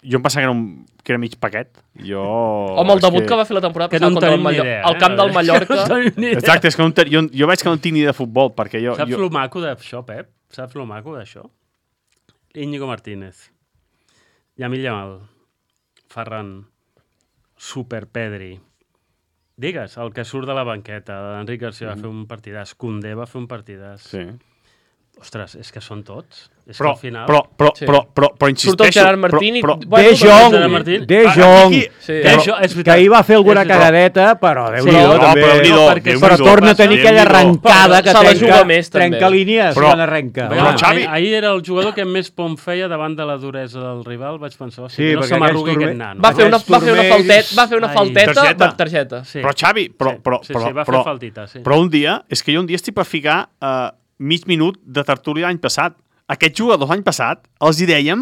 Speaker 4: jo em pensava que era, un, que era mig paquet. Jo,
Speaker 2: Home, el
Speaker 4: és
Speaker 2: debut que... que va fer la temporada
Speaker 6: Que
Speaker 2: passada
Speaker 6: no en
Speaker 2: contra el,
Speaker 6: tenim ni
Speaker 2: Mallor...
Speaker 6: idea,
Speaker 2: al camp
Speaker 6: eh?
Speaker 2: del Mallorca.
Speaker 6: No tenim ni idea.
Speaker 4: Exacte, és que no, en te- jo, jo veig que no tinc ni de futbol, perquè jo...
Speaker 6: Saps
Speaker 4: jo...
Speaker 6: el maco d'això, Pep? Saps el maco d'això? Íñigo Martínez, Lamine Yamal, Ferran, Super Pedri. Digues, el que surt de la banqueta, l'Enric Garcia va fer un partidàs, Koundé va fer un partidàs.
Speaker 4: Sí.
Speaker 6: Ostres, és que són tots. És
Speaker 4: Però,
Speaker 6: que al final...
Speaker 4: però, però,
Speaker 2: Sí.
Speaker 4: però, però, però insisteixo...
Speaker 2: Surt el Gerard Martín i...
Speaker 4: Però,
Speaker 2: Bueno,
Speaker 5: De Jong,
Speaker 6: Gerard Martín.
Speaker 5: De
Speaker 4: Ah,
Speaker 5: Jong,
Speaker 4: aquí-
Speaker 2: Sí.
Speaker 6: De
Speaker 5: que,
Speaker 6: Jong, és
Speaker 5: que
Speaker 6: veritat.
Speaker 5: ahir va fer alguna
Speaker 6: És veritat.
Speaker 5: cagadeta, però Déu-n'hi-do,
Speaker 6: Sí,
Speaker 4: no,
Speaker 5: també.
Speaker 4: però Déu-n'hi-do,
Speaker 6: perquè-
Speaker 4: Déu-n'hi-do.
Speaker 5: Però torna a tenir aquella
Speaker 4: Déu-n'hi-do.
Speaker 5: arrencada que
Speaker 2: Se la
Speaker 5: trenca,
Speaker 2: juga més, també.
Speaker 5: trenca línies
Speaker 4: Però-
Speaker 5: quan arrenca.
Speaker 6: Veure,
Speaker 4: Però,
Speaker 5: home.
Speaker 4: Xavi-
Speaker 6: ahir, ahir era el jugador que més pom feia davant de la duresa del rival. Vaig pensar,
Speaker 5: Sí,
Speaker 6: sí, que no
Speaker 5: perquè
Speaker 6: se m'arrugui
Speaker 5: aquells
Speaker 6: aquest
Speaker 5: turme-
Speaker 6: nano.
Speaker 2: Va fer una, va fer una
Speaker 5: turmells-
Speaker 2: faltet, va fer una
Speaker 6: Ai.
Speaker 2: falteta
Speaker 4: Targeta.
Speaker 2: per targeta.
Speaker 6: Sí.
Speaker 4: Però, Xavi, però,
Speaker 6: Sí,
Speaker 4: però,
Speaker 6: sí,
Speaker 4: però,
Speaker 6: sí, va fer
Speaker 4: però,
Speaker 6: faltita, sí.
Speaker 4: però un dia, és que jo un dia estic per ficar uh, mig minut de tertúlia l'any passat. Aquests jugadors l'any passat els hi dèiem,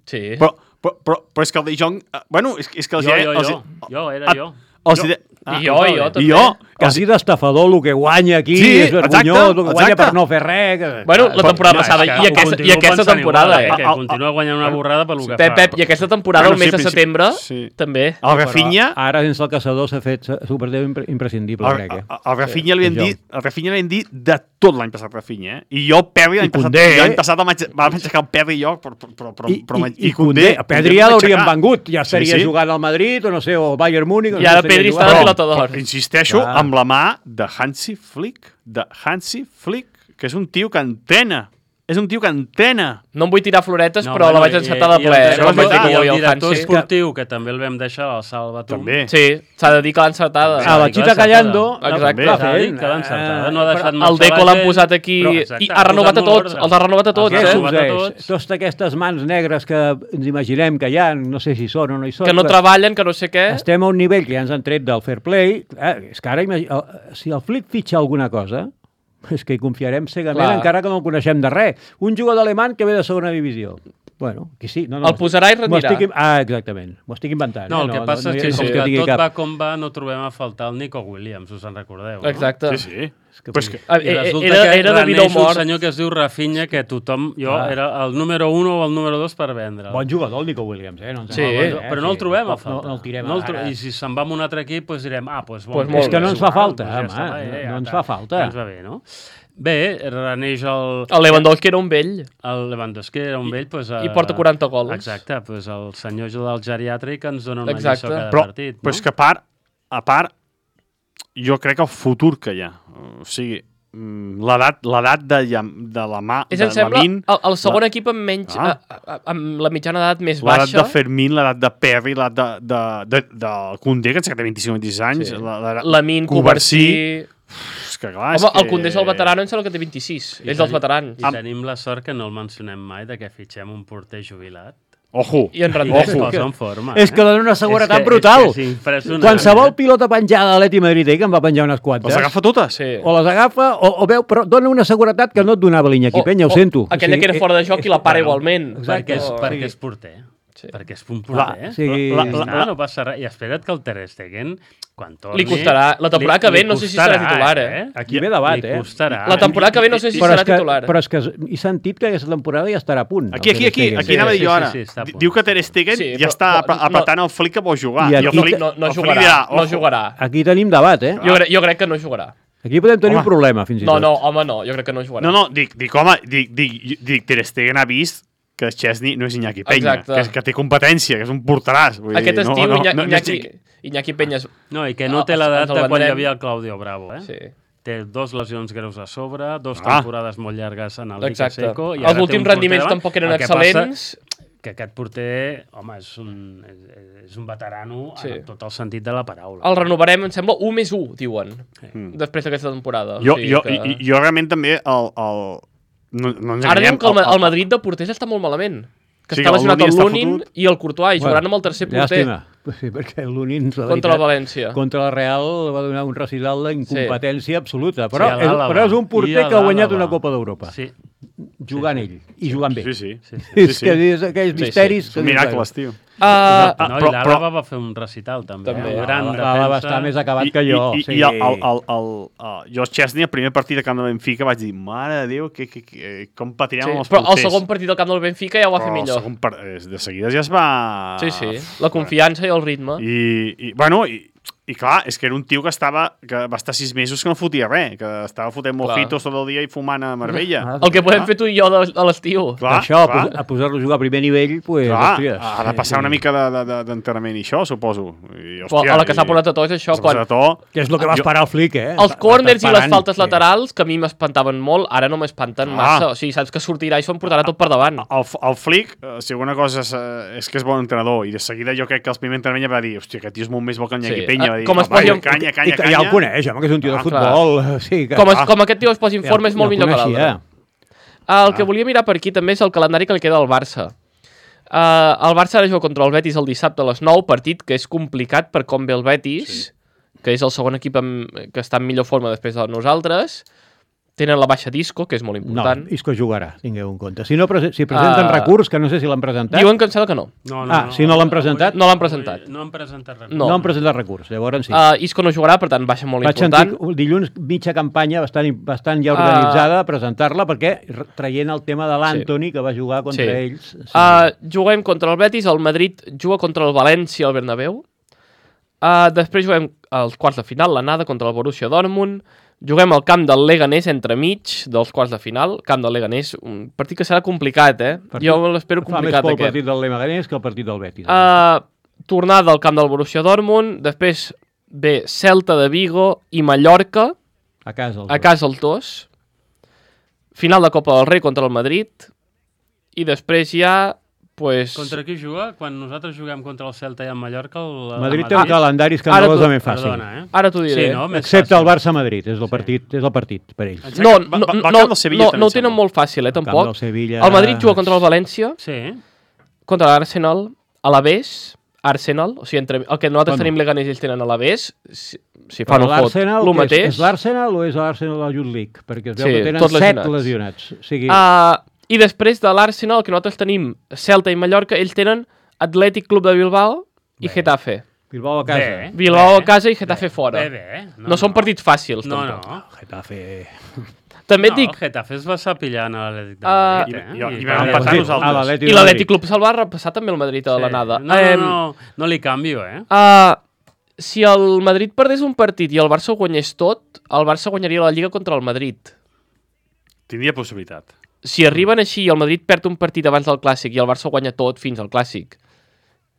Speaker 2: Sí.
Speaker 4: però, però, però, però és que el De Jong... Uh, bueno, és, és que els
Speaker 6: Jo,
Speaker 4: hi
Speaker 6: jo,
Speaker 4: els,
Speaker 6: jo. Jo, era
Speaker 4: Ah,
Speaker 6: jo.
Speaker 4: Els
Speaker 6: Jo.
Speaker 4: hi de...
Speaker 2: I jo, i jo, també.
Speaker 4: I jo,
Speaker 5: Quasi d'estafador el que guanya aquí,
Speaker 4: Sí,
Speaker 5: és vergonyós,
Speaker 4: exacte,
Speaker 5: el que guanya
Speaker 4: exacte.
Speaker 5: per no fer res. Que...
Speaker 2: Bueno, la
Speaker 4: Però-
Speaker 2: temporada
Speaker 4: no,
Speaker 2: passada
Speaker 6: és que
Speaker 2: i
Speaker 6: ho
Speaker 2: aquesta, i
Speaker 6: continuo
Speaker 2: aquesta
Speaker 6: pensant
Speaker 2: temporada,
Speaker 6: igual,
Speaker 2: eh?
Speaker 6: Que
Speaker 4: Ah, ah,
Speaker 6: continua guanyant una borrada pel que
Speaker 2: Pep,
Speaker 6: fa.
Speaker 2: Pep, i aquesta temporada,
Speaker 4: Bueno,
Speaker 2: el mes
Speaker 4: sí,
Speaker 2: de
Speaker 4: sí,
Speaker 2: setembre,
Speaker 4: sí.
Speaker 2: també.
Speaker 4: el Rafinha...
Speaker 5: Ara, sense el caçador, s'ha fet superdeu impre- imprescindible,
Speaker 4: El,
Speaker 5: crec.
Speaker 4: el,
Speaker 5: Eh?
Speaker 4: el Rafinha li
Speaker 5: Sí,
Speaker 4: han
Speaker 5: jo.
Speaker 4: dit, el Rafinha li han dit de tot l'any passat, Rafinha, eh? I jo, Perri, l'any
Speaker 5: I
Speaker 4: passat,
Speaker 5: Koundé,
Speaker 4: l'any
Speaker 5: eh?
Speaker 4: passat el vaig, vam aixecar el Perri i jo, però, però, però,
Speaker 5: I,
Speaker 4: però,
Speaker 5: i, i Koundé, a Pedri ja l'hauríem vengut, ja estaria
Speaker 4: Sí, sí.
Speaker 5: jugant al Madrid, o no sé, o Bayern Múnich. o no
Speaker 2: I
Speaker 5: sé,
Speaker 2: ara
Speaker 5: estaria
Speaker 2: Pedri
Speaker 5: jugant.
Speaker 2: està de
Speaker 4: Però,
Speaker 2: pilota d'or.
Speaker 4: però, insisteixo,
Speaker 5: Clar.
Speaker 4: amb la mà de Hansi Flick, de Hansi Flick, que és un tio que entrena. És un tio que entrena.
Speaker 2: No em vull tirar floretes,
Speaker 6: No,
Speaker 2: però
Speaker 6: bueno,
Speaker 2: la vaig
Speaker 6: i-
Speaker 2: encertar de
Speaker 6: i el
Speaker 2: ple.
Speaker 6: director-
Speaker 2: eh, quan vaig dir que
Speaker 6: I
Speaker 2: ho
Speaker 6: el
Speaker 2: el
Speaker 6: director
Speaker 2: Hansi.
Speaker 6: esportiu, que també el vam deixar al Salvatum.
Speaker 4: També.
Speaker 2: Sí, s'ha de dir que l'ha encertada.
Speaker 5: A la
Speaker 6: Sí,
Speaker 5: Chita
Speaker 6: clar,
Speaker 5: Callando,
Speaker 2: Exacte.
Speaker 5: va
Speaker 6: S'ha de dir
Speaker 5: fent.
Speaker 6: que l'ha encertada.
Speaker 5: eh,
Speaker 6: No ha deixat
Speaker 2: El
Speaker 6: marxar
Speaker 2: Deco
Speaker 6: la
Speaker 2: l'han
Speaker 6: gent,
Speaker 2: posat aquí
Speaker 6: però,
Speaker 2: i
Speaker 6: exacte,
Speaker 2: ha renovat a
Speaker 6: posat molt
Speaker 2: tots.
Speaker 6: ordre.
Speaker 2: Els ha renovat a tots,
Speaker 6: Els
Speaker 5: Què
Speaker 6: ha
Speaker 2: eh?
Speaker 6: renovat a
Speaker 5: succeeix?
Speaker 6: tots.
Speaker 5: Totes aquestes mans negres que ens imaginem que hi ha, no sé si són o no hi són,
Speaker 2: Que no
Speaker 5: però
Speaker 2: treballen, que no sé què.
Speaker 5: estem a un nivell que ja ens han tret del fair play. Eh, és que ara, imagi- el- si el Flick fitxa alguna cosa, és que hi confiarem cegament,
Speaker 2: Clar.
Speaker 5: encara que no el coneixem de res. Un jugador alemany que ve de segona divisió. Bueno, que sí. No, no,
Speaker 2: El posarà i
Speaker 5: m'ho
Speaker 2: retirà.
Speaker 5: estic... Ah, exactament. M'ho estic inventant.
Speaker 6: No, el
Speaker 5: eh?
Speaker 6: que passa
Speaker 5: no,
Speaker 6: és
Speaker 5: hi
Speaker 6: que,
Speaker 5: ha-
Speaker 6: com
Speaker 5: no
Speaker 6: que
Speaker 5: tingui
Speaker 6: tot
Speaker 5: cap.
Speaker 6: va com va, no trobem a faltar el Nico Williams, us en recordeu, no?
Speaker 2: Exacte.
Speaker 4: Sí, sí.
Speaker 5: que
Speaker 4: Però és que,
Speaker 2: Ah,
Speaker 6: I
Speaker 2: eh,
Speaker 6: resulta
Speaker 2: era,
Speaker 6: que
Speaker 2: era de vida o
Speaker 6: reneix un
Speaker 2: mort.
Speaker 6: senyor que es diu Rafinha, que tothom... Jo
Speaker 5: Ah.
Speaker 6: era el número un o el número dos per vendre.
Speaker 5: Bon jugador, el Nico Williams, eh? No ens
Speaker 2: Sí,
Speaker 5: enganyem,
Speaker 6: Però no el trobem a
Speaker 5: No,
Speaker 6: falta.
Speaker 5: no el tirem
Speaker 6: no el tro
Speaker 5: ara.
Speaker 6: I si se'n va amb un altre equip, doncs direm, ah, doncs
Speaker 2: Pues
Speaker 6: bon,
Speaker 2: molt
Speaker 5: És que no ens fa
Speaker 6: igual,
Speaker 5: falta,
Speaker 6: doncs ja
Speaker 5: home,
Speaker 6: està,
Speaker 5: no-
Speaker 6: eh,
Speaker 5: no
Speaker 6: ja
Speaker 5: ens
Speaker 6: està.
Speaker 5: fa falta.
Speaker 6: Ja ens va bé, no? Bé, reneix el...
Speaker 2: El Lewandowski era un vell.
Speaker 6: El Lewandowski era un vell, doncs...
Speaker 2: I porta quaranta gols.
Speaker 6: Exacte, doncs el senyor del geriàtric ens dona una
Speaker 2: Exacte.
Speaker 6: lliçó cada
Speaker 4: però,
Speaker 6: partit.
Speaker 4: però és que a part, a part, jo crec que el futur que hi ha, o sigui, mm, l'edat l'edat de, Llam- de la mà,
Speaker 2: És,
Speaker 4: de
Speaker 2: em sembla,
Speaker 4: Lamin,
Speaker 2: el, el segon equip amb menys...
Speaker 4: Ah.
Speaker 2: Ah. A, a, amb la mitjana d'edat més
Speaker 4: l'edat
Speaker 2: baixa.
Speaker 4: de Fermín, l'edat de Perry, l'edat de, de, de, de Koundé, que ens té vint-i-cinc o vint-i-sis anys,
Speaker 2: Sí.
Speaker 4: la- l'edat-
Speaker 2: Lamin, Covarsí...
Speaker 4: És que clar,
Speaker 2: Home,
Speaker 4: és que...
Speaker 2: el Condé és el veterano, em sembla que té vint-i-sis.
Speaker 6: I
Speaker 2: És dels
Speaker 6: tenim-
Speaker 2: veterans.
Speaker 6: I tenim la sort que no el mencionem mai, de que fitxem un porter jubilat.
Speaker 4: Ojo!
Speaker 2: I en
Speaker 6: I
Speaker 2: rendeix.
Speaker 6: que es posa en forma.
Speaker 5: És que dona una seguretat
Speaker 6: És que-
Speaker 5: brutal.
Speaker 6: És que és impressionant.
Speaker 5: Qualsevol
Speaker 6: eh?
Speaker 5: pilota penjada a l'Atleti Madrid, eh, que em va penjar unes quantes,
Speaker 4: Les agafa totes?
Speaker 2: Sí.
Speaker 5: o les agafa, o, o veu, però dona una seguretat que no et donava l'Iñaki Penya, ho sento.
Speaker 2: Aquella
Speaker 5: O sigui,
Speaker 2: que era fora de joc i la para
Speaker 5: bueno,
Speaker 2: igualment.
Speaker 6: Perquè és,
Speaker 2: Oh.
Speaker 6: perquè és porter.
Speaker 2: Sí.
Speaker 6: Perquè és un
Speaker 4: La-
Speaker 6: porter.
Speaker 5: sí.
Speaker 6: La,
Speaker 5: La-
Speaker 6: la,
Speaker 4: la-
Speaker 6: la, no passa res. I espera't que el Ter Stegen, quan torni...
Speaker 2: Li costarà. La temporada que ve no sé si serà titular, eh?
Speaker 5: Aquí ve debat,
Speaker 6: Li
Speaker 5: eh?
Speaker 6: costarà.
Speaker 2: La temporada que ve no sé si
Speaker 5: Però
Speaker 2: serà
Speaker 5: és que,
Speaker 2: titular.
Speaker 5: però és que he sentit que aquesta temporada ja estarà a punt.
Speaker 4: Aquí,
Speaker 5: el
Speaker 4: aquí,
Speaker 5: Ter
Speaker 4: aquí,
Speaker 5: Stegen.
Speaker 4: aquí
Speaker 2: Sí,
Speaker 4: anava a dir
Speaker 6: sí,
Speaker 4: jo
Speaker 6: sí,
Speaker 4: ara.
Speaker 6: sí, està a punt.
Speaker 4: Diu que Ter Stegen
Speaker 2: Sí,
Speaker 4: ja
Speaker 2: però-
Speaker 4: està
Speaker 2: però
Speaker 4: ap- apretant el Flick que vol jugar.
Speaker 5: I
Speaker 4: I el
Speaker 5: aquí-
Speaker 4: Flick,
Speaker 2: No, no
Speaker 4: el Flick
Speaker 2: jugarà.
Speaker 4: dirà,
Speaker 2: No
Speaker 4: ojo.
Speaker 2: jugarà.
Speaker 5: Aquí tenim debat, eh?
Speaker 2: Jo, crec, jo crec que no jugarà.
Speaker 5: Aquí podem tenir
Speaker 4: Home.
Speaker 5: un problema, fins i
Speaker 2: No,
Speaker 5: tot.
Speaker 2: no, home, no. Jo crec que no jugarà.
Speaker 4: No, no, dic, dic home, dic, dic, dic Ter Stegen ha vist que Chesney no és Iñaki Peña,
Speaker 2: Exacte.
Speaker 4: que, que té competència, que és un porteràs. Vull
Speaker 2: Aquest
Speaker 4: dir,
Speaker 2: estiu,
Speaker 4: no, no,
Speaker 2: Iñaki,
Speaker 4: no, no,
Speaker 2: Iñaki,
Speaker 4: és-
Speaker 2: Iñaki Peñas...
Speaker 6: No, i que no
Speaker 2: Ah,
Speaker 6: té l'edat
Speaker 2: ens el
Speaker 6: de quan hi
Speaker 2: vendrem.
Speaker 6: havia el Claudio Bravo, eh?
Speaker 2: Sí.
Speaker 6: Té dos lesions greus a sobre, dos
Speaker 4: Ah.
Speaker 6: temporades molt llargues en el Liga
Speaker 2: Exacte.
Speaker 6: Seco. I
Speaker 2: Els
Speaker 6: ara té
Speaker 2: últims
Speaker 6: un porter
Speaker 2: rendiments
Speaker 6: davant.
Speaker 2: tampoc eren
Speaker 6: El que passa
Speaker 2: excel·lents.
Speaker 6: que aquest porter, home, és un, és, és un veterano
Speaker 2: Sí.
Speaker 6: en tot el sentit de la paraula.
Speaker 2: El renovarem, em sembla, un més un, diuen,
Speaker 4: Mm.
Speaker 2: després d'aquesta temporada.
Speaker 4: Jo,
Speaker 2: O sigui
Speaker 4: jo,
Speaker 2: que...
Speaker 4: i, i- jo realment també el... el no, no ens
Speaker 2: Ara
Speaker 4: enganyem,
Speaker 2: diuen que el, Ma- el Madrid de porters està molt malament. Que
Speaker 4: Sí,
Speaker 2: està
Speaker 4: el
Speaker 2: lesionat
Speaker 4: Lunin
Speaker 2: el
Speaker 4: està
Speaker 2: Lunin
Speaker 4: fotut.
Speaker 2: i el Courtois, i jugaran amb el tercer porter
Speaker 5: Llàstima. Sí, perquè el Lunin, la
Speaker 2: contra la
Speaker 5: veritat,
Speaker 2: València.
Speaker 5: contra la Real va donar un recital d'incompetència absoluta. Però,
Speaker 6: Sí, a
Speaker 5: és,
Speaker 6: l'Àlava.
Speaker 5: però és un
Speaker 6: I
Speaker 5: porter
Speaker 6: a
Speaker 5: que ha guanyat
Speaker 6: l'Àlava.
Speaker 5: una Copa d'Europa.
Speaker 6: Sí,
Speaker 5: Jugant ell. I jugant bé.
Speaker 4: Sí, sí.
Speaker 6: sí, sí.
Speaker 5: És
Speaker 4: sí.
Speaker 5: que és aquells
Speaker 2: Sí,
Speaker 5: misteris...
Speaker 2: sí.
Speaker 5: que
Speaker 4: Són
Speaker 5: dius,
Speaker 4: miracles, tio.
Speaker 2: Uh,
Speaker 4: Ah,
Speaker 6: No,
Speaker 4: però-
Speaker 6: i l'Àlava va fer un recital, també.
Speaker 2: També.
Speaker 6: Un gran
Speaker 5: "L'Àlava va
Speaker 6: defensa.
Speaker 5: estar més acabat
Speaker 4: I,
Speaker 5: que jo.
Speaker 4: I, i,
Speaker 5: sí.
Speaker 4: i el, el, el, el, el, jo, Chesney, el primer partit de camp de Benfica, vaig dir, mare de Déu, que, que, que, com patirem
Speaker 2: sí.
Speaker 4: amb els
Speaker 2: Però el
Speaker 4: porters.
Speaker 2: segon partit del camp del Benfica ja ho va fer
Speaker 4: Però el
Speaker 2: millor.
Speaker 4: segon par- eh, de seguida ja es va...
Speaker 2: Sí, sí. La confiança i el ritme.
Speaker 4: I, i bueno, i, i clar, és que era un tio que estava que va estar sis mesos que no fotia res, que estava fotent mojitos tot el dia i fumant a Marbella.
Speaker 2: El que podem fer tu i jo de, a l'estiu.
Speaker 4: Clar,
Speaker 5: Això,
Speaker 4: clar,
Speaker 5: a posar-lo a jugar a primer nivell, pues,
Speaker 4: clar,
Speaker 5: hòsties.
Speaker 4: ha de passar una mica de- de- d'entrenament i això, suposo. I,
Speaker 2: Però a la que s'ha posat a to és això. Quan,
Speaker 4: a to,
Speaker 5: Que és el que va
Speaker 4: Jo-
Speaker 5: esperar el Flick, eh?
Speaker 2: els corners i les
Speaker 5: Esperant,
Speaker 2: faltes
Speaker 5: sí.
Speaker 2: laterals, que a mi m'espantaven molt, ara no m'espanten
Speaker 4: Ah.
Speaker 2: massa. O sigui, saps que sortirà i s'ho portarà tot per davant.
Speaker 4: el, el Flick, eh, si alguna cosa és, eh, és que és bon entrenador, i de seguida jo crec que els primer entrenament va dir, hòstia, aquest tio és molt més bo que el Iñaki
Speaker 2: Sí.
Speaker 4: Peña. Va dir,
Speaker 2: Com es
Speaker 4: "Va,
Speaker 2: posi-
Speaker 4: canya,
Speaker 5: I
Speaker 4: canya,
Speaker 5: que
Speaker 4: canya.
Speaker 5: ja el coneix, home, que és un tio de
Speaker 2: Ah,
Speaker 5: futbol. Sí, que,
Speaker 2: Com, es,
Speaker 5: ah,
Speaker 2: com aquest tio es posi en forma és molt
Speaker 5: ja el
Speaker 2: millor que
Speaker 5: coneixia.
Speaker 2: l'altre. El que volia mirar per aquí també és el calendari que li queda al Barça. Uh, el Barça ara juga contra el Betis el dissabte a les nou, partit que és complicat per com ve el Betis, sí. que és el segon equip amb, que està en millor forma després de nosaltres. Tenen la baixa Disco, que és molt
Speaker 5: No,
Speaker 2: important.
Speaker 5: Isco jugarà, tingueu en compte. Si, no, prese- si presenten
Speaker 2: Ah.
Speaker 5: recurs, que no sé si l'han presentat,
Speaker 2: Diuen que em sembla que no.
Speaker 6: No,
Speaker 5: Ah, si no l'han presentat?
Speaker 2: No l'han presentat.
Speaker 6: No han presentat res.
Speaker 2: No.
Speaker 5: no han presentat recurs. Llavors sí.
Speaker 2: Uh, Isco no jugarà, per tant, baixa molt
Speaker 5: Vaig
Speaker 2: important.
Speaker 5: sentir que dilluns mitja campanya bastant, bastant ja
Speaker 2: Ah.
Speaker 5: organitzada a presentar-la, perquè r- traient el tema de l'Antoni, que va jugar contra
Speaker 2: Sí.
Speaker 5: ells... Sí.
Speaker 2: Uh, juguem contra el Betis, el Madrid juga contra el València al Bernabéu. Uh, després juguem als quarts de final, l'anada contra el Borussia Dortmund. Juguem al camp del Leganés entremig dels quarts de final. Camp del Leganés, un partit que serà complicat, eh?
Speaker 5: Partit-
Speaker 2: Jo l'espero
Speaker 5: Fa més
Speaker 2: complicat,
Speaker 5: por el
Speaker 2: aquest.
Speaker 5: partit del Leganés que el partit del Betis.
Speaker 2: Uh, tornada al camp del Borussia Dortmund. Després ve Celta de Vigo i Mallorca,
Speaker 5: a casa. Els
Speaker 2: a casa els dos. Final de Copa del Rei contra el Madrid. I després ja... Pues...
Speaker 6: Contra qui juga? Quan nosaltres juguem contra el Celta i el Mallorca... El,
Speaker 5: dos. Madrid té un calendari
Speaker 2: Ara
Speaker 5: escandalosament fàcil.
Speaker 6: Perdona, eh?
Speaker 2: Ara t'ho diré.
Speaker 6: Sí, no? Més
Speaker 5: Excepte
Speaker 6: fàcil.
Speaker 5: el Barça-Madrid, és el partit, és el partit per ells.
Speaker 2: No,
Speaker 4: Va-
Speaker 2: no,
Speaker 4: va- va
Speaker 2: no,
Speaker 4: al camp del Sevilla,
Speaker 2: no,
Speaker 4: també
Speaker 2: no ho
Speaker 4: em
Speaker 2: tenen
Speaker 4: sembla.
Speaker 2: molt fàcil, eh,
Speaker 5: camp
Speaker 2: tampoc.
Speaker 5: del Sevilla-
Speaker 2: El Madrid juga contra el València,
Speaker 6: Sí.
Speaker 2: contra l'Arsenal, a l'Aves, Arsenal, o sigui, entre, el que nosaltres
Speaker 5: Bueno.
Speaker 2: tenim Leganés i ells tenen a l'Alavés, si, si fan
Speaker 5: Però
Speaker 2: un fot,
Speaker 5: l'Arsenal,
Speaker 2: el
Speaker 5: què és?
Speaker 2: mateix.
Speaker 5: És l'Arsenal o és l'Arsenal de la Youth League? Perquè es veu
Speaker 2: Sí,
Speaker 5: que tenen
Speaker 2: tots
Speaker 5: set
Speaker 2: lesionats.
Speaker 5: lesionats. O sigui,
Speaker 2: Uh, I després de l'Arsenal, que nosaltres tenim Celta i Mallorca, ells tenen Atlètic Club de Bilbao i
Speaker 5: Bé.
Speaker 2: Getafe.
Speaker 5: Bilbao a casa.
Speaker 6: Bé.
Speaker 2: Bilbao a casa i Getafe fora.
Speaker 6: Bé, bé.
Speaker 2: No, no són partits fàcils,
Speaker 6: No,
Speaker 2: tampoc.
Speaker 6: no.
Speaker 5: Getafe...
Speaker 2: També et
Speaker 6: no,
Speaker 2: dic,
Speaker 6: el Getafe es va estar pillant a l'Atlètic de
Speaker 2: Ah,
Speaker 6: Madrid, eh?
Speaker 4: i- i- i
Speaker 6: va-
Speaker 4: vam
Speaker 6: va-
Speaker 4: empatar
Speaker 6: sí.
Speaker 4: nosaltres.
Speaker 5: A l'Atlètic
Speaker 2: i
Speaker 5: de
Speaker 2: l'Atlètic
Speaker 5: Madrid.
Speaker 2: Club se'l va repassar també el Madrid a
Speaker 6: Sí.
Speaker 2: l'anada.
Speaker 6: No, no,
Speaker 2: Em,
Speaker 6: no, no li canvio, eh?
Speaker 2: Uh, si el Madrid perdés un partit i el Barça ho guanyés tot, el Barça guanyaria la Lliga contra el Madrid.
Speaker 4: Tindria possibilitat.
Speaker 2: Si arriben així i el Madrid perd un partit abans del Clàssic i el Barça guanya tot fins al Clàssic,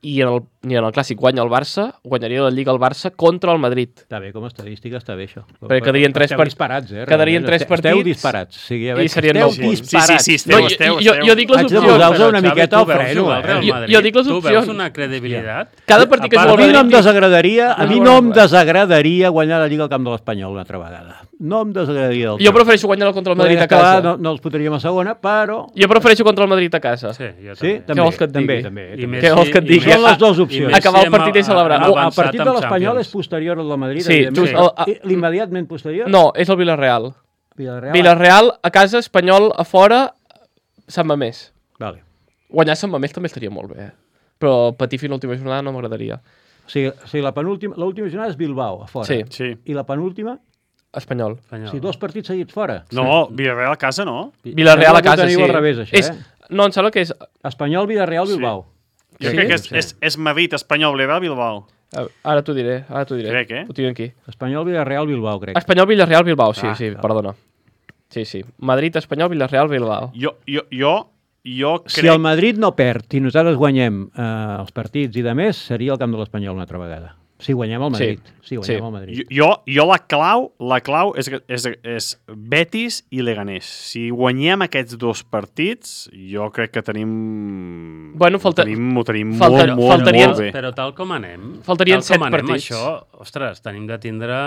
Speaker 2: i en el, i en el Clàssic guanya el Barça, guanyaria la Lliga el Barça contra el Madrid.
Speaker 5: Està bé, com a estadística està bé això.
Speaker 2: Perquè quedarien tres
Speaker 5: Esteu
Speaker 2: part-
Speaker 5: disparats, eh?
Speaker 2: quedarien
Speaker 5: realment.
Speaker 2: tres
Speaker 5: Esteu- Esteu
Speaker 2: partits
Speaker 5: disparats. O sigui, a
Speaker 2: i
Speaker 5: veure,
Speaker 2: serien
Speaker 5: esteu
Speaker 2: nou punts.
Speaker 5: disparats.
Speaker 4: Sí, sí, esteu,
Speaker 2: No,
Speaker 4: esteu,
Speaker 2: jo, jo,
Speaker 4: esteu.
Speaker 2: jo dic les
Speaker 5: Haig de
Speaker 2: opcions.
Speaker 5: posar-vos
Speaker 6: Però,
Speaker 5: una
Speaker 6: Xavi,
Speaker 5: miqueta
Speaker 6: tu
Speaker 5: al
Speaker 6: veus
Speaker 5: freno,
Speaker 6: jugar
Speaker 5: eh?
Speaker 6: al Real
Speaker 2: Jo-
Speaker 6: Madrid?
Speaker 2: jo dic les
Speaker 6: Tu veus
Speaker 2: opcions.
Speaker 6: una credibilitat?
Speaker 2: Cada partit que
Speaker 5: A
Speaker 2: juga el
Speaker 5: mi no em
Speaker 2: Madrid...
Speaker 5: desagradaria, a mi
Speaker 2: No,
Speaker 5: no em
Speaker 2: no.
Speaker 5: desagradaria guanyar la Lliga al camp de l'Espanyol una altra vegada. No em desagradaria del
Speaker 2: Jo
Speaker 5: tot.
Speaker 2: prefereixo guanyar contra el Madrid
Speaker 5: Podria
Speaker 2: a casa.
Speaker 5: estar- No, no els podríem a segona, però...
Speaker 2: Jo prefereixo contra el Madrid a casa.
Speaker 6: Sí, jo
Speaker 5: Sí,
Speaker 6: també.
Speaker 5: també,
Speaker 2: vols que et
Speaker 5: també,
Speaker 2: digui?
Speaker 5: també,
Speaker 6: I
Speaker 5: també.
Speaker 6: més
Speaker 2: Què vols
Speaker 6: si-
Speaker 2: que et
Speaker 6: i
Speaker 2: digui?
Speaker 6: més-
Speaker 5: Són les dues
Speaker 6: i
Speaker 5: opcions.
Speaker 6: més si
Speaker 2: Acabar el
Speaker 6: hem-
Speaker 2: partit i celebrar.
Speaker 6: hem
Speaker 2: O
Speaker 5: El
Speaker 6: avançat
Speaker 5: partit
Speaker 6: amb
Speaker 5: de l'Espanyol
Speaker 6: Champions.
Speaker 5: és posterior al del Madrid,
Speaker 2: Sí,
Speaker 5: evidentment.
Speaker 2: just el-
Speaker 5: I l'immediatament posterior?
Speaker 2: No, és el Villarreal.
Speaker 5: Villarreal.
Speaker 2: Villarreal a casa, Espanyol a fora, Sant Mamés.
Speaker 5: Vale.
Speaker 2: Guanyar Sant Mamés també estaria molt bé, eh? Però patir fins a l'última jornada no m'agradaria.
Speaker 5: O sigui, o sigui la penúltima, l'última jornada és Bilbao, a fora.
Speaker 2: Sí.
Speaker 4: Sí.
Speaker 5: I la penúltima?
Speaker 2: Espanyol.
Speaker 5: O
Speaker 6: Espanyol.
Speaker 5: sigui, dos partits seguits fora.
Speaker 4: No, Villarreal a casa no.
Speaker 2: Villarreal a
Speaker 5: Sembla que ho
Speaker 2: casa,
Speaker 5: teniu
Speaker 2: sí.
Speaker 5: al revés, això,
Speaker 2: és,
Speaker 5: eh?
Speaker 2: No, em sembla que és...
Speaker 5: Espanyol, Villarreal, Bilbao.
Speaker 4: Jo
Speaker 2: Sí?
Speaker 4: crec que és,
Speaker 6: Sí.
Speaker 4: és, és Madrid, Espanyol, Villarreal, Bilbao.
Speaker 2: eh, Ara t'ho diré, ara t'ho diré.
Speaker 4: Crec, eh?
Speaker 2: Ho tinc aquí.
Speaker 5: Espanyol, Villarreal, Bilbao, crec.
Speaker 2: Espanyol, Villarreal, Bilbao, sí,
Speaker 4: Ah,
Speaker 2: sí,
Speaker 5: clar.
Speaker 2: perdona. Sí, sí. Madrid, Espanyol, Villarreal, Bilbao.
Speaker 4: Jo, jo, jo, jo crec...
Speaker 5: Si el Madrid no perd i nosaltres guanyem eh, els partits i de més, seria el camp de l'Espanyol una altra vegada. Si guanyem el Madrid.
Speaker 2: Sí,
Speaker 5: Si guanyem
Speaker 2: sí.
Speaker 5: el Madrid.
Speaker 4: Jo, jo la clau, la clau és, és, és Betis i Leganés. Si guanyem aquests dos partits, jo crec que tenim...
Speaker 2: Bueno, falta-
Speaker 4: Ho tenim, ho tenim
Speaker 2: falta-
Speaker 4: molt, molt,
Speaker 2: faltarien-
Speaker 4: molt bé.
Speaker 6: Però tal com anem,
Speaker 2: Faltarien
Speaker 6: tal com
Speaker 2: set
Speaker 6: anem,
Speaker 2: partits.
Speaker 6: això, ostres, tenim de tindre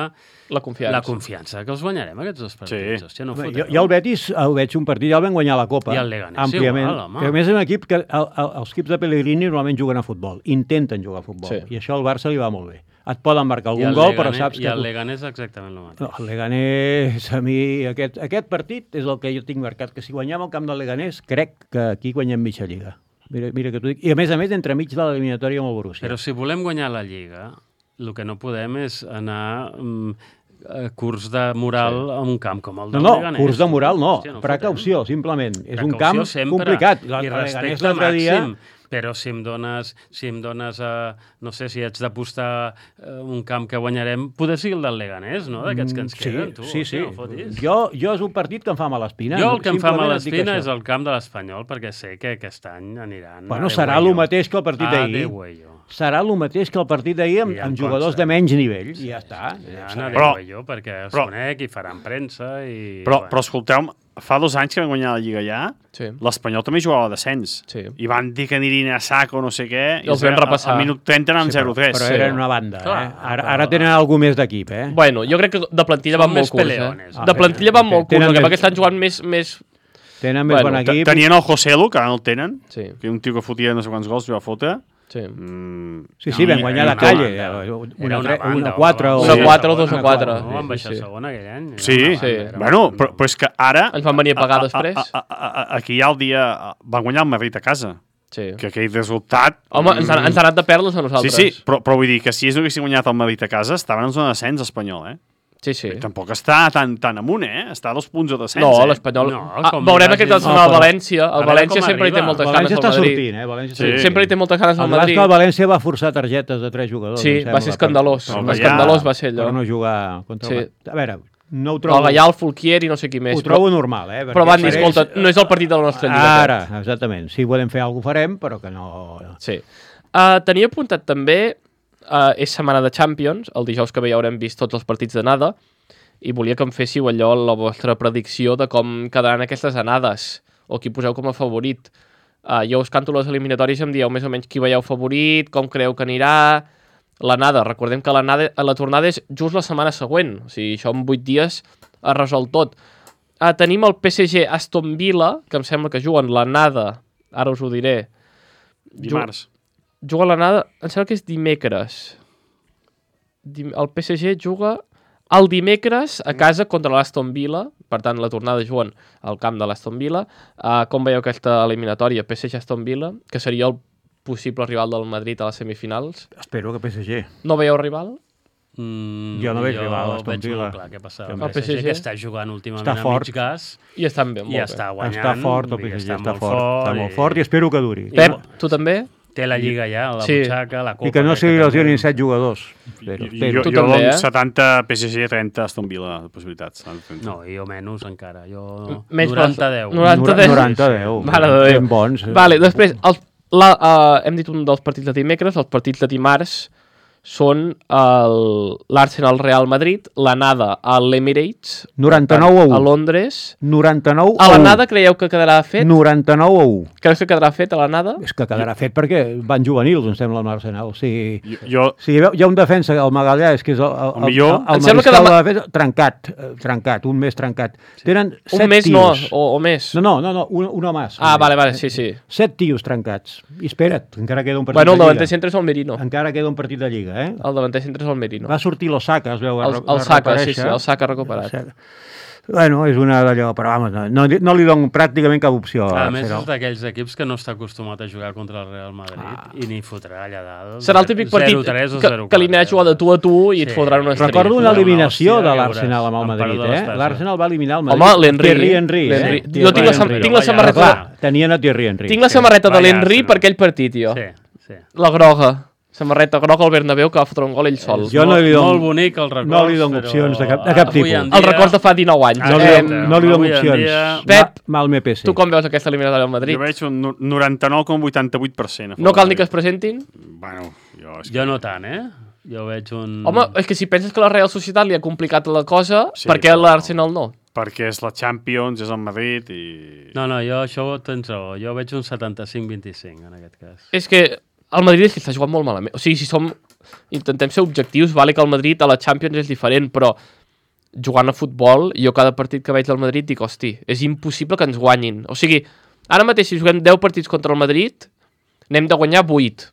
Speaker 2: La confiança.
Speaker 6: la confiança que els guanyarem, aquests dos partits.
Speaker 4: Sí.
Speaker 6: Hòstia, no
Speaker 5: Home,
Speaker 6: fotreu.
Speaker 5: jo, jo el Betis el veig un partit, ja el vam guanyar a la Copa.
Speaker 6: I el Leganés
Speaker 5: àmpliament.
Speaker 6: igual, home.
Speaker 5: Que a més és un equip que el, el, els equips de Pellegrini normalment juguen a futbol, intenten jugar a futbol,
Speaker 2: Sí.
Speaker 5: i això al Barça li va molt bé. Et poden marcar
Speaker 6: I
Speaker 5: algun
Speaker 6: el
Speaker 5: gol, però
Speaker 6: Leganés-
Speaker 5: saps
Speaker 6: I
Speaker 5: que...
Speaker 6: el Leganés exactament el mateix.
Speaker 5: No, el Leganés, a mi, aquest, aquest partit és el que jo tinc marcat, que si guanyem el camp del Leganés, crec que aquí guanyem mitja lliga. Mira, mira que t'ho dic. I a més a més, entremig de l'eliminatòria amb el Borussia.
Speaker 6: Però si volem guanyar la Lliga, el que no podem és anar mm, a curs de moral sí. a un camp com el
Speaker 5: No,
Speaker 6: del
Speaker 5: no,
Speaker 6: Leganés.
Speaker 5: curs de moral no,
Speaker 6: Hòstia, no
Speaker 5: precaució, simplement. És un
Speaker 6: Precaució
Speaker 5: camp
Speaker 6: sempre,
Speaker 5: complicat.
Speaker 6: I
Speaker 5: La- el Leganés
Speaker 6: respecte
Speaker 5: l'altre dia...
Speaker 6: màxim. Però si em dones, si em dones uh, no sé si haig d'apostar uh, un camp que guanyarem, poder sigui el del Leganés, no? D'aquests que ens
Speaker 5: Sí,
Speaker 6: queden, tu.
Speaker 5: sí, sí.
Speaker 6: hòstia, no fotis.
Speaker 5: Jo, jo és un partit que em fa mala espina.
Speaker 6: Jo el que em fa
Speaker 5: Simplement
Speaker 6: mala
Speaker 5: et dic
Speaker 6: espina
Speaker 5: això.
Speaker 6: és el camp de l'Espanyol, perquè sé que aquest any aniran
Speaker 5: Bueno,
Speaker 6: a
Speaker 5: serà
Speaker 6: Déu
Speaker 5: el
Speaker 6: guayo.
Speaker 5: mateix que el partit
Speaker 6: A
Speaker 5: d'ahir.
Speaker 6: Déu guayo.
Speaker 5: Serà el mateix que el partit d'ahir amb,
Speaker 6: I em
Speaker 5: amb jugadors
Speaker 6: consta.
Speaker 5: de menys nivell. I ja està.
Speaker 6: Ja,
Speaker 5: Ja
Speaker 6: anar a
Speaker 5: serà.
Speaker 6: Déu
Speaker 4: Però-
Speaker 6: guayo, perquè els
Speaker 4: però-
Speaker 6: conec i faran premsa i...
Speaker 4: Però,
Speaker 6: bueno.
Speaker 4: però escolteu, fa dos anys que vam guanyar la Lliga ja,
Speaker 2: Sí.
Speaker 4: l'Espanyol també jugava a descens.
Speaker 2: Sí.
Speaker 4: I van dir que anirien a saco no sé què.
Speaker 2: I els vam repassar.
Speaker 4: Al minut trenta eren
Speaker 5: Sí, però,
Speaker 4: zero tres.
Speaker 5: però
Speaker 2: sí.
Speaker 5: eren una banda.
Speaker 6: Clar,
Speaker 5: eh? Ara,
Speaker 6: però-
Speaker 5: ara tenen algú més d'equip. Eh?
Speaker 2: Bueno, jo crec que de plantilla
Speaker 6: Són
Speaker 2: van molt
Speaker 6: més
Speaker 2: curts,
Speaker 6: peleones.
Speaker 2: eh?
Speaker 5: Ah,
Speaker 2: De plantilla van molt curts,
Speaker 5: tenen
Speaker 2: el que
Speaker 5: més-
Speaker 2: passa que estan jugant més... més...
Speaker 5: Tenen més
Speaker 2: Bueno,
Speaker 5: bon
Speaker 4: Te-
Speaker 5: equip.
Speaker 4: Tenien el Joselu, que ara no el tenen,
Speaker 2: Sí,
Speaker 4: que és un tio que fotia no sé quants gols i va fotre.
Speaker 2: sí.
Speaker 4: Mm,
Speaker 5: Sí, sí, vam
Speaker 4: i-
Speaker 5: guanyar
Speaker 4: i-
Speaker 5: la
Speaker 6: una
Speaker 5: calle.
Speaker 6: banda.
Speaker 5: eh,
Speaker 6: Era
Speaker 5: Una,
Speaker 6: una
Speaker 5: tre-
Speaker 6: banda,
Speaker 5: una quatre o...
Speaker 2: Una
Speaker 6: sí,
Speaker 2: quatre o dos
Speaker 6: una
Speaker 2: a quatre.
Speaker 6: No, van baixar
Speaker 2: Sí, sí.
Speaker 6: segona aquell any. Era
Speaker 4: Sí,
Speaker 6: una banda,
Speaker 2: sí.
Speaker 6: era
Speaker 4: Bueno,
Speaker 6: una-
Speaker 4: però, però és que ara...
Speaker 2: Ens van venir a pagar
Speaker 4: a- a-
Speaker 2: després.
Speaker 4: a- a- a- Aquí hi ha el dia... Van guanyar el Madrid a casa.
Speaker 2: Sí.
Speaker 4: Que aquell resultat...
Speaker 2: Home, ens, han, ens han anat de perles a
Speaker 4: Sí,
Speaker 2: nosaltres.
Speaker 4: sí, però, però vull dir que si ells no haguessin guanyat el Madrid a casa, estaven en zona de descens, espanyol, eh?
Speaker 2: Sí, sí.
Speaker 4: I tampoc està tan, tan amunt, eh? Està a dos punts de descens,
Speaker 2: No,
Speaker 4: eh?
Speaker 2: l'Espanyol...
Speaker 6: No,
Speaker 2: ah,
Speaker 6: com
Speaker 2: veurem
Speaker 6: li
Speaker 2: aquest
Speaker 6: vagin-
Speaker 2: setmana
Speaker 5: No,
Speaker 2: al
Speaker 5: però-
Speaker 2: València. El
Speaker 6: veure
Speaker 2: València
Speaker 6: com
Speaker 2: sempre hi té
Speaker 6: arriba.
Speaker 2: moltes
Speaker 5: El
Speaker 2: ganes
Speaker 5: València
Speaker 2: al
Speaker 5: està
Speaker 2: Madrid.
Speaker 5: sortint, eh? València
Speaker 4: Sí.
Speaker 5: està sortint.
Speaker 2: Sempre hi té moltes ganes
Speaker 5: El
Speaker 2: al
Speaker 5: cas que el
Speaker 2: Madrid.
Speaker 5: València va forçar targetes de tres jugadors.
Speaker 2: Sí,
Speaker 5: em
Speaker 2: va
Speaker 5: sembla,
Speaker 2: ser escandalós.
Speaker 5: Per,
Speaker 4: El
Speaker 5: per,
Speaker 2: Escandalós va ser
Speaker 5: per
Speaker 2: allò.
Speaker 5: no jugar contra
Speaker 2: Sí.
Speaker 5: el... A veure, no ho
Speaker 2: El
Speaker 5: trobo...
Speaker 2: Gallà, el Fulquier i no sé qui més.
Speaker 5: Ho trobo normal, eh?
Speaker 2: Però
Speaker 5: perquè
Speaker 2: van dir,
Speaker 5: per ells-
Speaker 2: escolta, no és el partit de la nostra lliga.
Speaker 5: Ara,
Speaker 2: aquest.
Speaker 5: exactament. Si volem fer alguna cosa farem, però que no...
Speaker 2: Sí. Uh, tenia apuntat també, uh, és setmana de Champions, el dijous que ve ja haurem vist tots els partits d'anada, i volia que em féssiu allò, la vostra predicció de com quedaran aquestes anades, o qui poseu com a favorit. Uh, jo us canto les eliminatòries i em dieu més o menys qui veieu favorit, com creu que anirà... L'anada, recordem que l'anada, la tornada és just la setmana següent, o sigui, això en vuit dies es resol tot. Uh, tenim el P S G Aston Villa, que em sembla que juguen l'anada, ara us ho diré.
Speaker 4: Dimarts.
Speaker 2: juga a l'anada, em sembla que és dimecres. Dim- El P S G juga el dimecres a casa contra l'Aston Villa, per tant la tornada juguen al camp de l'Aston Villa. Uh, com veieu aquesta eliminatòria P S G-Aston Villa, que seria el possible rival del Madrid a les semifinals?
Speaker 5: Espero que P S G.
Speaker 2: No veieu rival?
Speaker 6: Mm,
Speaker 5: Jo no veig rival, Aston
Speaker 6: veig
Speaker 5: Villa.
Speaker 6: molt clar què passa.
Speaker 5: El
Speaker 6: El P S G que està jugant últimament
Speaker 5: Està
Speaker 6: a
Speaker 5: fort.
Speaker 6: mig gas
Speaker 2: I estan bé, molt
Speaker 6: i
Speaker 2: bé.
Speaker 6: està guanyant.
Speaker 5: Està fort, el
Speaker 6: i
Speaker 5: P S G
Speaker 6: està
Speaker 5: està
Speaker 6: molt
Speaker 5: fort. Està
Speaker 6: i-
Speaker 5: molt fort i espero que duri.
Speaker 2: Pep, tu també?
Speaker 6: Té la lliga ja, la
Speaker 2: Sí.
Speaker 6: butxaca, la copa.
Speaker 5: I que no
Speaker 6: crec
Speaker 5: se li
Speaker 6: també.
Speaker 5: lesionin set jugadors. Espero,
Speaker 4: Jo,
Speaker 5: espero.
Speaker 2: Tu
Speaker 4: jo
Speaker 2: també,
Speaker 4: dono
Speaker 2: eh?
Speaker 4: setanta P S G, trenta Aston Villa de possibilitats.
Speaker 6: No, jo menys encara. Jo
Speaker 2: Menys
Speaker 6: noranta deu.
Speaker 2: noranta deu.
Speaker 5: noranta deu.
Speaker 2: Mare de Déu.
Speaker 5: Ben bons. eh?
Speaker 2: Vale, després, els, la, uh, hem dit un dels partits de dimecres, els partits de dimarts són el- l'Arsenal Real Madrid, l'anada a l'Emirates,
Speaker 5: noranta-nou a u.
Speaker 2: a Londres.
Speaker 5: noranta-nou
Speaker 2: A
Speaker 5: a u.
Speaker 2: l'anada creieu que quedarà fet?
Speaker 5: noranta-nou a u.
Speaker 2: Creus que quedarà fet a l'anada?
Speaker 5: És que quedarà fet perquè van juvenils, em sembla, amb l'Arsenal. O sigui,
Speaker 4: Jo, jo
Speaker 5: si hi ha- hi ha un defensa, el Magallà, és que és el, el, el,
Speaker 4: millor-
Speaker 5: el,
Speaker 2: Em sembla que
Speaker 5: mariscal
Speaker 2: demà-
Speaker 5: de defensa, trencat, eh, trencat, un mes trencat. Tenen set
Speaker 2: Un mes
Speaker 5: tios.
Speaker 2: no, o, o més.
Speaker 5: No, no, no, no un, un home.
Speaker 2: Ah, vale, vale, sí, sí.
Speaker 5: Set tios trencats. I espera't, encara queda un partit
Speaker 2: Bueno, el
Speaker 5: de
Speaker 2: davanter
Speaker 5: Lliga.
Speaker 2: centre és el Merino.
Speaker 5: Encara queda un partit de Lliga, eh?
Speaker 2: El davanter centre és el Merino.
Speaker 5: Va sortir l'Osaka, es veu. va
Speaker 2: El,
Speaker 5: re-
Speaker 2: el
Speaker 5: va
Speaker 2: Saka, sí, sí,
Speaker 5: reaparèixer.
Speaker 2: el Saka recuperat.
Speaker 5: Bueno, és una d'allò, però vamos, no, no, no li dono pràcticament cap opció.
Speaker 6: A
Speaker 5: a
Speaker 6: més,
Speaker 5: Arsenal.
Speaker 6: és d'aquells equips que no està acostumat a jugar contra el Real Madrid ah. i ni fotrà allà dalt.
Speaker 2: Serà el típic partit
Speaker 6: zero tres o
Speaker 2: que,
Speaker 6: zero quatre.
Speaker 2: que li anirà a jugar de tu a tu i et
Speaker 6: Sí.
Speaker 2: fotran una estrella.
Speaker 5: Recordo una
Speaker 6: Una
Speaker 5: eliminació
Speaker 6: hòstia,
Speaker 5: de
Speaker 6: ja
Speaker 5: l'Arsenal amb el
Speaker 6: veuràs. Em
Speaker 5: Madrid,
Speaker 6: parlo de les
Speaker 5: eh?
Speaker 6: peces.
Speaker 5: L'Arsenal va eliminar el Madrid.
Speaker 2: Home, l'Henry.
Speaker 5: Thierry Henry,
Speaker 2: L'Henry.
Speaker 5: eh?
Speaker 2: Jo
Speaker 5: Thierry
Speaker 2: tinc la,
Speaker 5: Henry.
Speaker 2: tinc la
Speaker 6: Vaya,
Speaker 2: samarreta,
Speaker 5: Clar, tenien a Thierry Henry.
Speaker 2: tinc la samarreta de
Speaker 6: Vaya
Speaker 2: l'Henry
Speaker 6: Arsenal.
Speaker 2: per aquell partit, jo.
Speaker 6: Sí, sí.
Speaker 2: La groga. Samarreta groga al Bernabéu que va fotre un gol ell sol.
Speaker 5: Jo no
Speaker 6: molt,
Speaker 5: li dono-
Speaker 6: molt bonic el record,
Speaker 5: no li dono
Speaker 6: però
Speaker 5: opcions de cap- de cap
Speaker 6: avui
Speaker 5: tipus.
Speaker 6: en
Speaker 2: El
Speaker 6: dia-
Speaker 2: record de fa dinou anys.
Speaker 5: No li,
Speaker 2: Eh,
Speaker 5: dono- no li dono
Speaker 6: avui en
Speaker 5: opcions.
Speaker 6: dia-
Speaker 2: Pep,
Speaker 5: Ma, mal me P S.
Speaker 2: Tu com veus aquesta eliminatòria del Madrid?
Speaker 4: jo veig un no- noranta-nou coma vuitanta-vuit per cent. a favor
Speaker 2: No cal
Speaker 4: de
Speaker 2: ni que es
Speaker 4: Madrid.
Speaker 2: presentin?
Speaker 4: Bueno, jo... És
Speaker 6: Jo no tant, eh? Jo veig un...
Speaker 2: Home, és que si penses que la Real Societat li ha complicat la cosa,
Speaker 4: Sí,
Speaker 2: per què
Speaker 4: però-
Speaker 2: l'Arsenal no?
Speaker 4: perquè és la Champions, és el Madrid i...
Speaker 6: No, no, jo això tens raó. Jo veig un setanta-cinc vint-i-cinc en aquest cas.
Speaker 2: És que el Madrid és que està jugant molt malament. O sigui, si som... Intentem ser objectius, vale que el Madrid a la Champions és diferent, però jugant a futbol, jo cada partit que veig del Madrid dic, hosti, és impossible que ens guanyin. O sigui, ara mateix si juguem deu partits contra el Madrid, n'hem de guanyar vuit.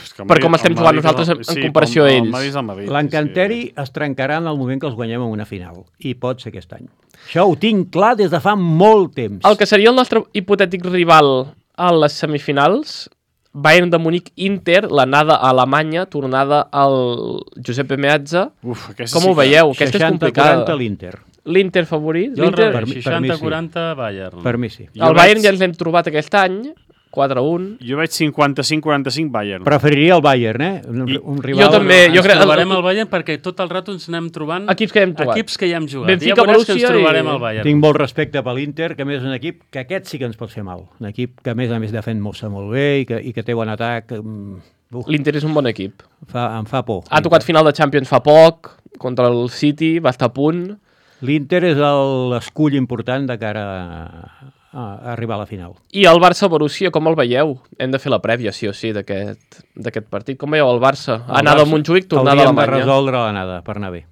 Speaker 4: És que el
Speaker 2: Per
Speaker 4: Madrid-
Speaker 2: com estem
Speaker 4: el
Speaker 2: jugant
Speaker 4: Madrid
Speaker 2: nosaltres
Speaker 4: és el-
Speaker 2: en- en
Speaker 4: sí,
Speaker 2: comparació
Speaker 4: com
Speaker 2: a
Speaker 4: el
Speaker 2: ells.
Speaker 4: Madrid és el Madrid,
Speaker 5: L'encanteri
Speaker 4: sí,
Speaker 5: es trencarà en el moment que els guanyem en una final. I pot ser aquest any. Això ho tinc clar des de fa molt temps.
Speaker 2: El que seria el nostre hipotètic rival a les semifinals, Bayern de Múnich Inter, l'anada a Alemanya, tornada al Giuseppe Meazza.
Speaker 4: sí. Uf, aquesta
Speaker 2: Com ho
Speaker 4: sí que-
Speaker 2: veieu? Aquesta és
Speaker 5: seixanta
Speaker 2: complicada.
Speaker 5: quaranta l'Inter.
Speaker 2: L'Inter favorit?
Speaker 6: Jo al
Speaker 2: L'Inter...
Speaker 5: per mi-
Speaker 6: revés,
Speaker 5: per mi sí.
Speaker 6: seixanta quaranta Bayern.
Speaker 5: Per mi sí.
Speaker 4: Jo
Speaker 2: El Bayern
Speaker 4: veig-
Speaker 2: ja ens l'hem trobat aquest any, quatre a un.
Speaker 4: Jo veig cinquanta-cinc quaranta-cinc Bayern.
Speaker 5: Preferiria el Bayern, eh? Un,
Speaker 4: I-
Speaker 5: un rival...
Speaker 2: Jo també,
Speaker 6: Ens
Speaker 2: jo crec-
Speaker 6: trobarem el Bayern perquè tot el rato ens anem trobant
Speaker 2: Equips que hem trobat.
Speaker 6: equips que ja hem jugat.
Speaker 2: Benfica,
Speaker 6: ja veuràs que ens
Speaker 2: Borussia
Speaker 6: trobarem
Speaker 2: i-
Speaker 6: el Bayern.
Speaker 5: Tinc molt respecte per l'Inter, que a més és un equip que aquest sí que ens pot fer mal. Un equip que a més a més defen molt, molt bé i que, i que té bon atac. mm, Uf,
Speaker 2: L'Inter és un bon equip.
Speaker 5: fa, em fa por.
Speaker 2: Ha tocat final de Champions fa poc, contra el City, va estar a punt.
Speaker 5: L'Inter és el- l'escull important de cara a, a arribar a la final.
Speaker 2: I el Barça-Borussia, com el veieu? Hem de fer la prèvia, sí o sí, d'aquest d'aquest partit. Com veieu el Barça?
Speaker 5: El
Speaker 2: Anada a
Speaker 5: Barça
Speaker 2: Montjuïc, tornada a
Speaker 5: hauríem de
Speaker 2: Alemanya.
Speaker 5: resoldre l'anada per anar bé.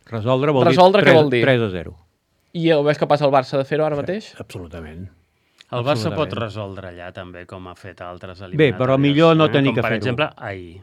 Speaker 5: Resoldre vol
Speaker 2: Resoldre
Speaker 5: dir,
Speaker 2: què vol dir?
Speaker 5: tres a zero.
Speaker 2: I ho veus que passa el Barça de fer-ho ara mateix?
Speaker 5: Absolutament.
Speaker 6: El Barça pot
Speaker 5: Absolutament.
Speaker 6: resoldre allà també, com ha fet altres eliminatòries.
Speaker 5: Bé, però millor no
Speaker 6: eh?
Speaker 5: tenir
Speaker 6: com
Speaker 5: que
Speaker 6: per
Speaker 5: fer-ho.
Speaker 6: exemple, ahir.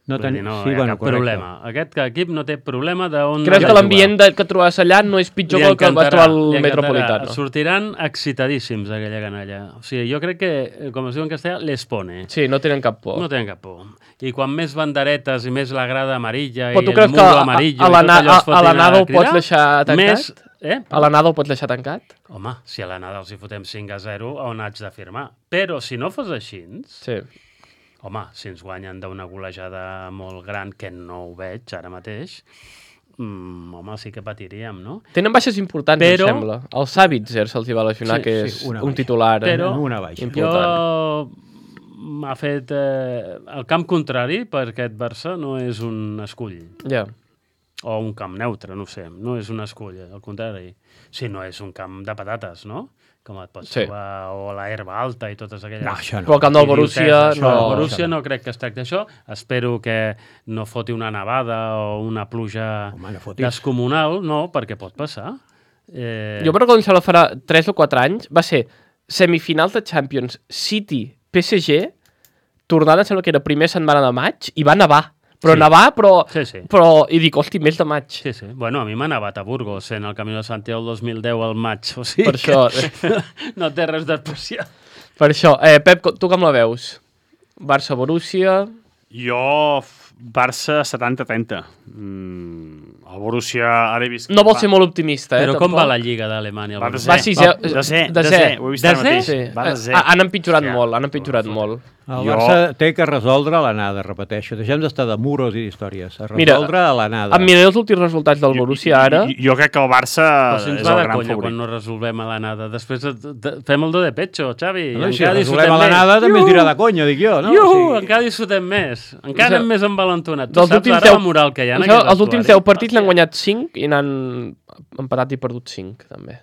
Speaker 5: No,
Speaker 6: Vull
Speaker 5: ten...
Speaker 6: dir, no
Speaker 5: sí,
Speaker 6: hi ha
Speaker 5: bueno,
Speaker 6: cap
Speaker 5: correcte.
Speaker 6: problema. Aquest equip no té problema d'on...
Speaker 2: Creus
Speaker 6: anar
Speaker 2: que
Speaker 6: a
Speaker 2: l'ambient
Speaker 6: jugar.
Speaker 2: de, que trobaràs allà no és pitjor
Speaker 6: Li
Speaker 2: que el que vas
Speaker 6: encantarà,
Speaker 2: trobar al
Speaker 6: li encantarà.
Speaker 2: Metropolitano?
Speaker 6: Sortiran excitadíssims aquella canalla. O sigui, jo crec que, com es diu en castellà, les pone.
Speaker 2: Sí, no tenen cap por.
Speaker 6: No tenen cap por. I quan més banderetes i més la grada amarilla
Speaker 2: Però
Speaker 6: i
Speaker 2: tu
Speaker 6: el
Speaker 2: creus que
Speaker 6: muro
Speaker 2: a,
Speaker 6: amarillo
Speaker 2: a,
Speaker 6: i tot
Speaker 2: l'ana-
Speaker 6: allò es
Speaker 2: a, a
Speaker 6: fotin
Speaker 2: l'anada ho
Speaker 6: cridar,
Speaker 2: pots deixar tancat?
Speaker 6: Més, eh?
Speaker 2: A l'anada ho pots deixar tancat?
Speaker 6: Home, si a l'anada els hi fotem cinc a zero, on haig de firmar? Però si no fos així,
Speaker 2: Sí.
Speaker 6: home, si ens guanyen d'una golejada molt gran, que no ho veig ara mateix, mm, home, sí que patiríem, no?
Speaker 2: Tenen baixes importants,
Speaker 6: Però-
Speaker 2: em sembla. El Savitzer se'ls hi va lesionar,
Speaker 6: Sí,
Speaker 2: que
Speaker 5: sí,
Speaker 2: és
Speaker 5: una
Speaker 2: un
Speaker 5: baixa.
Speaker 2: titular eh,
Speaker 6: Però-
Speaker 5: Una baixa.
Speaker 2: important.
Speaker 6: Jo m'ha fet eh, el camp contrari per aquest Barça no és un escull
Speaker 2: Ja.
Speaker 6: o un camp neutre, no ho sé, no és un escull, al contrari. Si no és un camp de patates, no? Com et pots
Speaker 2: Sí.
Speaker 6: trobar, o la herba alta i totes aquelles...
Speaker 5: No, això no.
Speaker 2: Però el camp del Borussia
Speaker 6: idioteses.
Speaker 2: no...
Speaker 6: El Borussia no crec que es tracti d'això. Espero que no foti una nevada o una pluja
Speaker 5: Home, no fotis.
Speaker 6: descomunal, no, perquè pot passar. Eh,
Speaker 2: Jo me recordo que em sembla farà tres o quatre anys, va ser semifinals de Champions City P S G, tornada, sembla que era primer setmana de maig, i va nevar. Però
Speaker 6: Sí.
Speaker 2: nevar, però,
Speaker 6: Sí, sí.
Speaker 2: però... I dic, hosti, mes de maig.
Speaker 6: Sí, sí. Bueno, a mi m'ha nevat a Burgos en el Camí de Santiago el dos mil deu al maig. O sigui
Speaker 2: Per això.
Speaker 6: que no té res d'especial.
Speaker 2: Per això. Eh, Pep, tu com la veus? Barça-Borussia...
Speaker 4: Jo, f- Barça setanta trenta. Mm, el Borussia ara he vist...
Speaker 2: No vol ser molt optimista, eh?
Speaker 6: Però com
Speaker 2: tampoc.
Speaker 6: va la Lliga d'Alemanya?
Speaker 4: Va de
Speaker 6: Borussia?
Speaker 2: Va sisè.
Speaker 4: De ser,
Speaker 2: de
Speaker 4: de
Speaker 2: ser.
Speaker 4: ser. Ho he vist ara
Speaker 6: De
Speaker 4: mateix.
Speaker 2: Sí.
Speaker 4: Va de ser.
Speaker 2: Eh, Han empitjorat
Speaker 4: Hòstia.
Speaker 2: molt, han empitjorat molt.
Speaker 5: El
Speaker 4: Jo-
Speaker 5: Barça té que resoldre a l'anada, repeteixo. Deixem d'estar de muros i d'històries. A
Speaker 2: Mira,
Speaker 5: resoldre a l'anada.
Speaker 2: Em miraré els últims resultats del Borussia ara.
Speaker 4: Jo, jo crec que el Barça
Speaker 6: Però si ens
Speaker 4: és
Speaker 6: va
Speaker 4: el
Speaker 6: de
Speaker 4: gran
Speaker 6: conya quan
Speaker 4: favorit.
Speaker 6: no resolvem a l'anada. Després de, de, fem el do de pecho, Xavi.
Speaker 5: No, i si
Speaker 6: encara
Speaker 5: resolem
Speaker 6: disfrutem
Speaker 5: a l'anada
Speaker 6: més.
Speaker 5: també es
Speaker 6: Iuhu!
Speaker 5: dirà de conya, dic jo, no?
Speaker 6: Iuhu,
Speaker 5: O sigui,
Speaker 6: encara disfrutem més. Encara
Speaker 2: O sigui,
Speaker 6: anem més envalentonat. Tu
Speaker 2: Dels
Speaker 6: saps
Speaker 2: últims
Speaker 6: ara
Speaker 2: deu-
Speaker 6: la moral que hi ha en
Speaker 2: Això,
Speaker 6: aquest
Speaker 2: els últims
Speaker 6: vestuari?
Speaker 2: deu partits n'han guanyat cinc i n'han empatat i perdut cinc, també.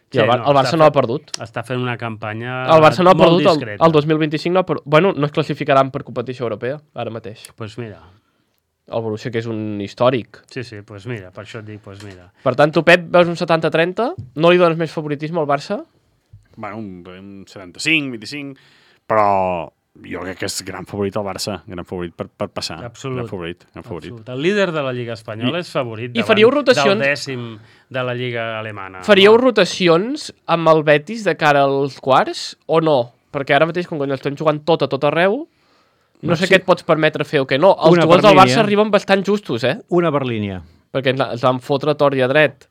Speaker 2: I
Speaker 6: Sí,
Speaker 2: el, Bar
Speaker 6: no,
Speaker 2: el Barça
Speaker 6: està
Speaker 2: no ha
Speaker 6: fent-
Speaker 2: perdut.
Speaker 6: Està fent una campanya
Speaker 2: El Barça no ha
Speaker 6: molt
Speaker 2: perdut, el,
Speaker 6: discreta.
Speaker 2: el dos mil vint-i-cinc no ha perdut. Bueno, no es classificaran per competició europea, ara mateix.
Speaker 6: Pues mira,
Speaker 2: El Borussia, que és un històric.
Speaker 6: sí, sí, pues mira, per això et dic, pues mira.
Speaker 2: Per tant, tu, Pep, veus un setanta trenta? No li dones més favoritisme al Barça?
Speaker 4: Bueno, un, un setanta-cinc, vint-i-cinc, però jo crec que és gran favorit el Barça, gran favorit per, per passar.
Speaker 6: Absolut.
Speaker 4: Gran favorit, gran favorit.
Speaker 6: Absolut. El líder de la Lliga Espanyola
Speaker 4: I-
Speaker 6: és favorit
Speaker 2: i faríeu
Speaker 6: davant
Speaker 2: rotacions-
Speaker 6: del dècim de la Lliga Alemana.
Speaker 2: Faríeu
Speaker 6: home.
Speaker 2: rotacions amb el Betis de cara als quarts o no? Perquè ara mateix, com que estem jugant tot a tot arreu, no sé
Speaker 5: sí.
Speaker 2: què et pots permetre fer o què no. Els
Speaker 5: Una
Speaker 2: jugadors
Speaker 5: per
Speaker 2: del Barça
Speaker 5: línia.
Speaker 2: arriben bastant justos, eh?
Speaker 5: Una per línia.
Speaker 2: Perquè ens, ens van fotre a tort i a dret.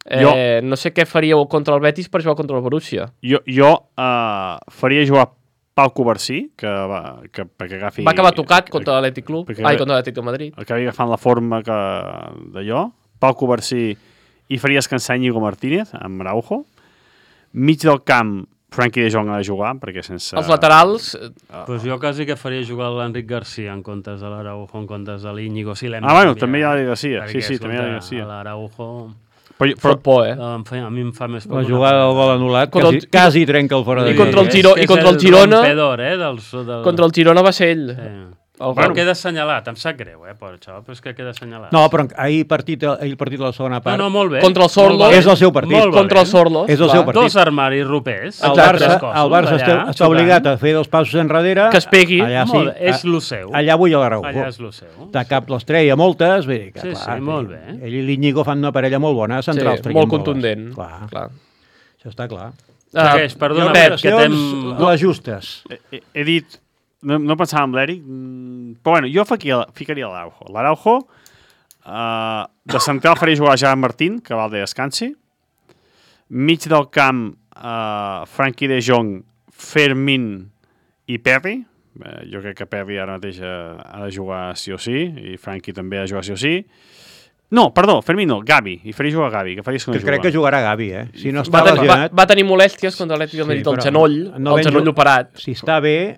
Speaker 2: Eh, no sé què faríeu contra el Betis per jugar contra el Borussia.
Speaker 4: Jo, jo uh, faria jugar Pau Covarsí, que, va, que perquè agafi...
Speaker 2: Va acabar tocat contra l'Atlètic Club.
Speaker 4: perquè-
Speaker 2: Ai, contra l'Atlètic de Madrid.
Speaker 4: Acabi agafant la forma que d'allò. Pau Covarsí i faria descansar Íñigo Martínez amb Araujo. Mig del camp, Frenkie de Jong ha de jugar, perquè sense...
Speaker 2: Els laterals, eh,
Speaker 6: Pues jo quasi que faria jugar l'Enric Garcia en comptes de l'Araujo, en comptes de l'Iñigo. Si l'hem
Speaker 4: Ah,
Speaker 6: de
Speaker 4: bueno,
Speaker 6: canviar,
Speaker 4: també hi ha
Speaker 6: eh?
Speaker 4: la Garcia. Sí,
Speaker 6: Perquè,
Speaker 4: sí, també hi ha la
Speaker 6: escolta,
Speaker 4: Garcia.
Speaker 6: L'Araujo...
Speaker 4: Però,
Speaker 2: fot por, eh?
Speaker 6: em fa, a mi em fa més por.
Speaker 5: La
Speaker 6: que
Speaker 5: jugada
Speaker 6: una
Speaker 5: del gol anul·lat
Speaker 2: Contra
Speaker 5: quasi,
Speaker 2: el-
Speaker 5: quasi trenca el fora de
Speaker 2: I contra el
Speaker 5: línia.
Speaker 2: Giro-
Speaker 6: És que
Speaker 2: i contra
Speaker 6: és
Speaker 2: el Girona-
Speaker 6: rompedor, eh? Del, del...
Speaker 2: contra el Girona va ser ell.
Speaker 6: Sí.
Speaker 2: El
Speaker 6: Però
Speaker 2: gol.
Speaker 6: queda assenyalat, em sap greu, eh, pobre xaval, però és que queda assenyalat.
Speaker 5: No, però ahir partit, ahir partit de la segona
Speaker 6: no,
Speaker 5: part.
Speaker 6: no, molt bé.
Speaker 2: Contra el Sorlo.
Speaker 6: Molt valent,
Speaker 5: És el seu partit.
Speaker 6: molt
Speaker 2: Contra el
Speaker 6: valent.
Speaker 2: Sorlo.
Speaker 5: És el
Speaker 2: clar.
Speaker 5: seu partit.
Speaker 6: Dos armaris ropers.
Speaker 5: El
Speaker 2: Exacte.
Speaker 5: Barça,
Speaker 6: tres cossos,
Speaker 5: el Barça està,
Speaker 6: allà,
Speaker 5: està obligat a fer dos passos enrere.
Speaker 2: Que es pegui.
Speaker 5: Allà sí.
Speaker 6: Molt bé, és
Speaker 5: a-
Speaker 6: lo seu.
Speaker 5: Allà vull a l'Araujo.
Speaker 6: Allà és lo seu.
Speaker 5: De cap les treia moltes, vull dir que,
Speaker 6: Sí,
Speaker 5: clar,
Speaker 6: sí, molt bé.
Speaker 5: Ell i l'Iñigo fan una parella molt bona,
Speaker 2: Sí,
Speaker 5: centrals. traient
Speaker 2: molt
Speaker 5: boles.
Speaker 2: contundent.
Speaker 5: Clar,
Speaker 2: Clar.
Speaker 5: això està clar.
Speaker 6: Segueix,
Speaker 2: Ah,
Speaker 6: perdona,
Speaker 2: Pep,
Speaker 6: Pep, que t'hem...
Speaker 5: Les justes.
Speaker 4: He, he, he dit... No, no pensava en l'Eric, mm, però bueno, jo ficaria, ficaria l'Araujo. L'Araujo, uh, de central faria jugar Gerard Martín, que val de descansi. Mig del camp, uh, Frenkie de Jong, Fermín i Perry. Uh, jo crec que Perry ara mateix uh, ha de jugar sí o sí, i Frenkie també ha de jugar sí o sí. No, perdó, Fermín no, Gavi. I faria jugar Gavi, que faria que no
Speaker 5: Que
Speaker 4: juga.
Speaker 5: crec que jugarà Gavi, eh? Si no
Speaker 2: Va,
Speaker 5: està
Speaker 2: tenir, va,
Speaker 5: lesionat,
Speaker 2: va tenir molèsties contra l'Atlètic de
Speaker 5: Sí,
Speaker 2: Madrid al
Speaker 5: però
Speaker 2: genoll,
Speaker 5: no
Speaker 2: el
Speaker 5: ben
Speaker 2: genoll
Speaker 5: ju-
Speaker 2: operat.
Speaker 5: si està bé,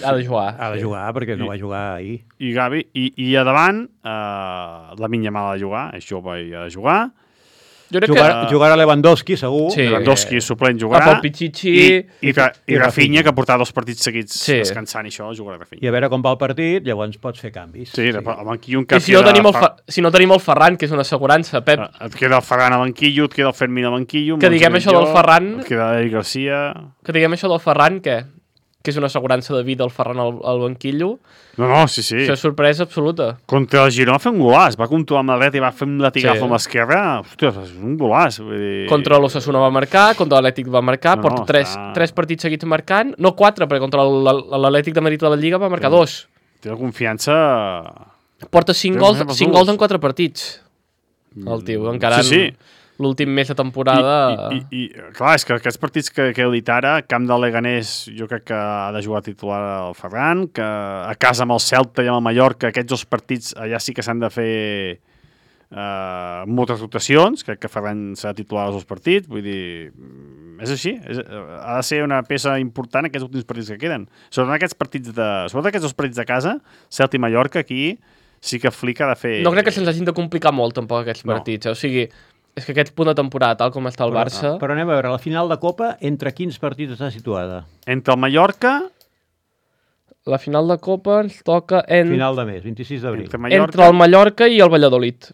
Speaker 2: Ha de jugar.
Speaker 5: ha de jugar, perquè no va jugar ahir.
Speaker 4: I Gavi, i, i a davant, uh, la Minya Mal ha de jugar, és jove i ha de jugar.
Speaker 2: Jo crec
Speaker 5: Jugarà,
Speaker 2: que...
Speaker 5: jugarà Lewandowski, segur.
Speaker 2: Sí.
Speaker 4: Lewandowski suplent
Speaker 2: A
Speaker 4: jugarà.
Speaker 2: Pau Pichichi...
Speaker 4: I, i, i,
Speaker 5: i
Speaker 4: i Rafinha,
Speaker 5: Rafinha.
Speaker 4: que portarà dos partits seguits
Speaker 2: Sí.
Speaker 4: descansant i això, jugarà
Speaker 5: I
Speaker 4: Rafinha.
Speaker 5: a veure com va el partit, llavors pots fer canvis.
Speaker 4: Sí, sí. el banquillo un
Speaker 2: I
Speaker 4: cap
Speaker 2: si no, tenim el, Fa... si no tenim el Ferran, que és una assegurança, Pep,
Speaker 4: Et queda el Ferran al banquillo, et queda el Fermín al banquillo.
Speaker 2: Que diguem això del Ferran-
Speaker 4: Et queda l'Eric Garcia...
Speaker 2: que diguem això del Ferran, què? Que és una assegurança de vida el Ferran al, al banquillo.
Speaker 4: No, no, sí, sí.
Speaker 2: Això és sorpresa absoluta.
Speaker 4: Contra el Girona va fer un golàs. Va controlar amb la dreta i va fer un latigazo
Speaker 2: Sí.
Speaker 4: amb l'esquerra. Ostres, és un golàs. Vull dir...
Speaker 2: Contra l'Osasuna va marcar, contra l'Atlètic va marcar,
Speaker 4: No,
Speaker 2: porta
Speaker 4: no,
Speaker 2: tres,
Speaker 4: està-
Speaker 2: tres partits seguits marcant, no quatre, perquè contra l- l'Atlètic de Madrid de la Lliga va marcar dos.
Speaker 4: Té la confiança...
Speaker 2: Porta cinc
Speaker 4: Té
Speaker 2: gols,
Speaker 4: més
Speaker 2: cinc
Speaker 4: gols.
Speaker 2: gols en quatre partits. El tio, encara
Speaker 4: Sí, sí.
Speaker 2: l'últim mes de temporada...
Speaker 4: I, i, i, clar, és que aquests partits que, que heu dit ara, camp del Leganés, jo crec que ha de jugar titular el Ferran, que a casa amb el Celta i amb el Mallorca, aquests dos partits allà sí que s'han de fer uh, moltes rotacions, crec que Ferran serà titular als dos partits, vull dir, mm, és així, és, ha de ser una peça important aquests últims partits que queden. Sobretot aquests partits de, sobretot aquests dos partits de casa, Celta i Mallorca, aquí sí que Flick ha de fer...
Speaker 2: No crec que se'ns hagin de complicar molt, tampoc, aquests
Speaker 4: No.
Speaker 2: partits. Eh? O sigui, és que aquest punt de temporada, tal com està el Barça...
Speaker 5: Però anem a veure, la final de Copa, entre quins partits està situada?
Speaker 4: Entre el Mallorca,
Speaker 2: La final de Copa ens toca en...
Speaker 5: Final de mes, vint-i-sis d'abril.
Speaker 4: entre Mallorca...
Speaker 2: entre el Mallorca i el Valladolid.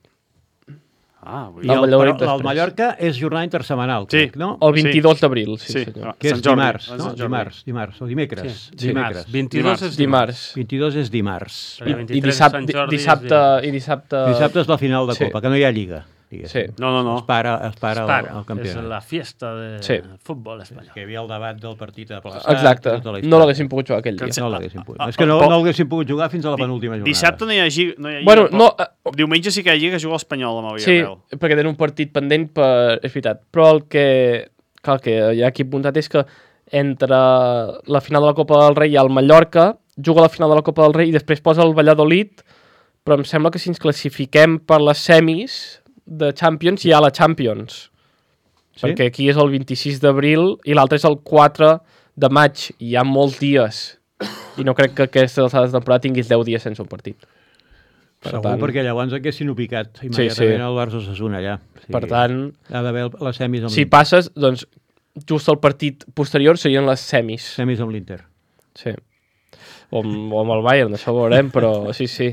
Speaker 4: Ah, vull
Speaker 5: I
Speaker 4: dir...
Speaker 2: El
Speaker 5: el,
Speaker 2: Valladolid
Speaker 5: però el
Speaker 2: després.
Speaker 5: Mallorca és jornada intersetmanal,
Speaker 4: Sí.
Speaker 5: crec, no?
Speaker 2: El vint-i-dos d'abril, sí,
Speaker 4: Sí.
Speaker 2: senyor.
Speaker 5: Que és
Speaker 4: Sant Jordi,
Speaker 5: dimarts,
Speaker 4: el
Speaker 5: no?
Speaker 4: Sant Jordi.
Speaker 5: Dimarts, dimarts, o dimecres.
Speaker 6: Sí,
Speaker 5: dimecres.
Speaker 6: dimarts. vint-i-dos és
Speaker 2: Dimarts.
Speaker 5: vint-i-dos és dimarts.
Speaker 6: Perquè
Speaker 2: I,
Speaker 6: el
Speaker 2: i
Speaker 6: vint-i-tres
Speaker 2: dissabte,
Speaker 6: Sant Jordi és
Speaker 2: dissabte,
Speaker 6: divendres.
Speaker 2: i dissabte...
Speaker 5: Dissabte és la final de
Speaker 2: Sí.
Speaker 5: Copa, que no hi ha lliga.
Speaker 2: Sí.
Speaker 4: No, no, no.
Speaker 5: Es para, es para,
Speaker 6: Para,
Speaker 5: el, el
Speaker 6: és
Speaker 5: campionat.
Speaker 6: la fiesta de
Speaker 2: Sí.
Speaker 6: futbol espanyol.
Speaker 5: Que hi havia el debat del partit aplaçat.
Speaker 2: Exacte.
Speaker 5: tota la història.
Speaker 2: No l'haguéssim pogut jugar aquell dia.
Speaker 5: No l'haguéssim pogut.
Speaker 4: Ah,
Speaker 5: És que no,
Speaker 4: ah,
Speaker 5: no l'haguéssim pogut jugar fins a la
Speaker 4: Di-
Speaker 5: penúltima jornada.
Speaker 4: Dissabte no hi ha lliga. No hi ha lliga
Speaker 2: Bueno,
Speaker 4: però
Speaker 2: no... eh,
Speaker 4: Diumenge sí que hi ha lliga que juga l'Espanyol amb el
Speaker 2: Sí,
Speaker 4: Villarreal.
Speaker 2: perquè tenen un partit pendent per... És veritat. Però el que... Clar, el que hi ha aquí apuntat és que entre la final de la Copa del Rei i el Mallorca, juga la final de la Copa del Rei i després posa el Valladolid, però em sembla que si ens classifiquem per les semis de Champions hi ha la Champions.
Speaker 5: Sí?
Speaker 2: Perquè aquí és el vint-i-sis d'abril i l'altre és el quatre de maig. I hi ha molts dies. I no crec que aquesta alçada de temporada tinguis deu dies sense un partit. Per
Speaker 5: Segur,
Speaker 2: tant,
Speaker 5: perquè llavors haguessin picat immediatament
Speaker 2: sí.
Speaker 5: el Barça Osasuna allà. Sí.
Speaker 2: per tant,
Speaker 5: Ha d'haver el- les semis amb
Speaker 2: si
Speaker 5: l'Inter.
Speaker 2: passes, doncs just el partit posterior serien les semis.
Speaker 5: Semis amb l'Inter.
Speaker 2: Sí. O amb, o amb el Bayern, això ho veurem, però sí, sí.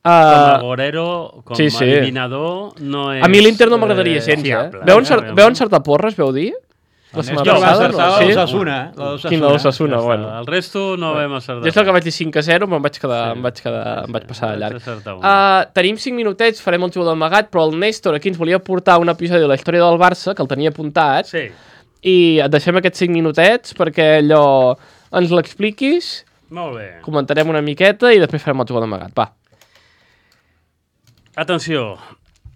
Speaker 6: Com a
Speaker 2: Uh,
Speaker 6: gorero, com
Speaker 2: sí,
Speaker 6: a
Speaker 2: sí.
Speaker 6: eliminador, no és...
Speaker 2: a mi l'Inter no m'agradaria
Speaker 6: eh,
Speaker 2: gens, eh?
Speaker 6: fiable.
Speaker 2: Veu, encer
Speaker 6: Realment.
Speaker 2: veu encertar porres, veu dir? La
Speaker 5: El
Speaker 2: setmana
Speaker 5: Néstor va
Speaker 2: passada,
Speaker 5: encertar
Speaker 2: no?
Speaker 5: el
Speaker 2: Sí?
Speaker 5: Osasuna. el
Speaker 2: Quin l'Osasuna,
Speaker 6: Ja està.
Speaker 2: bueno.
Speaker 6: El resto no vam acertar.
Speaker 2: Jo és el que vaig dir cinc a zero, me'n vaig quedar,
Speaker 6: Sí.
Speaker 2: em vaig quedar, em vaig passar de
Speaker 6: Vaig
Speaker 2: llarg.
Speaker 6: acertar un.
Speaker 2: Uh, tenim cinc minutets, farem el jugador amagat, però el Néstor aquí ens volia portar un episodi de la història del Barça, que el tenia apuntat,
Speaker 6: Sí,
Speaker 2: i et deixem aquests cinc minutets perquè allò ens l'expliquis,
Speaker 6: molt bé.
Speaker 2: comentarem una miqueta i després farem el jugador amagat. Va.
Speaker 6: Atenció.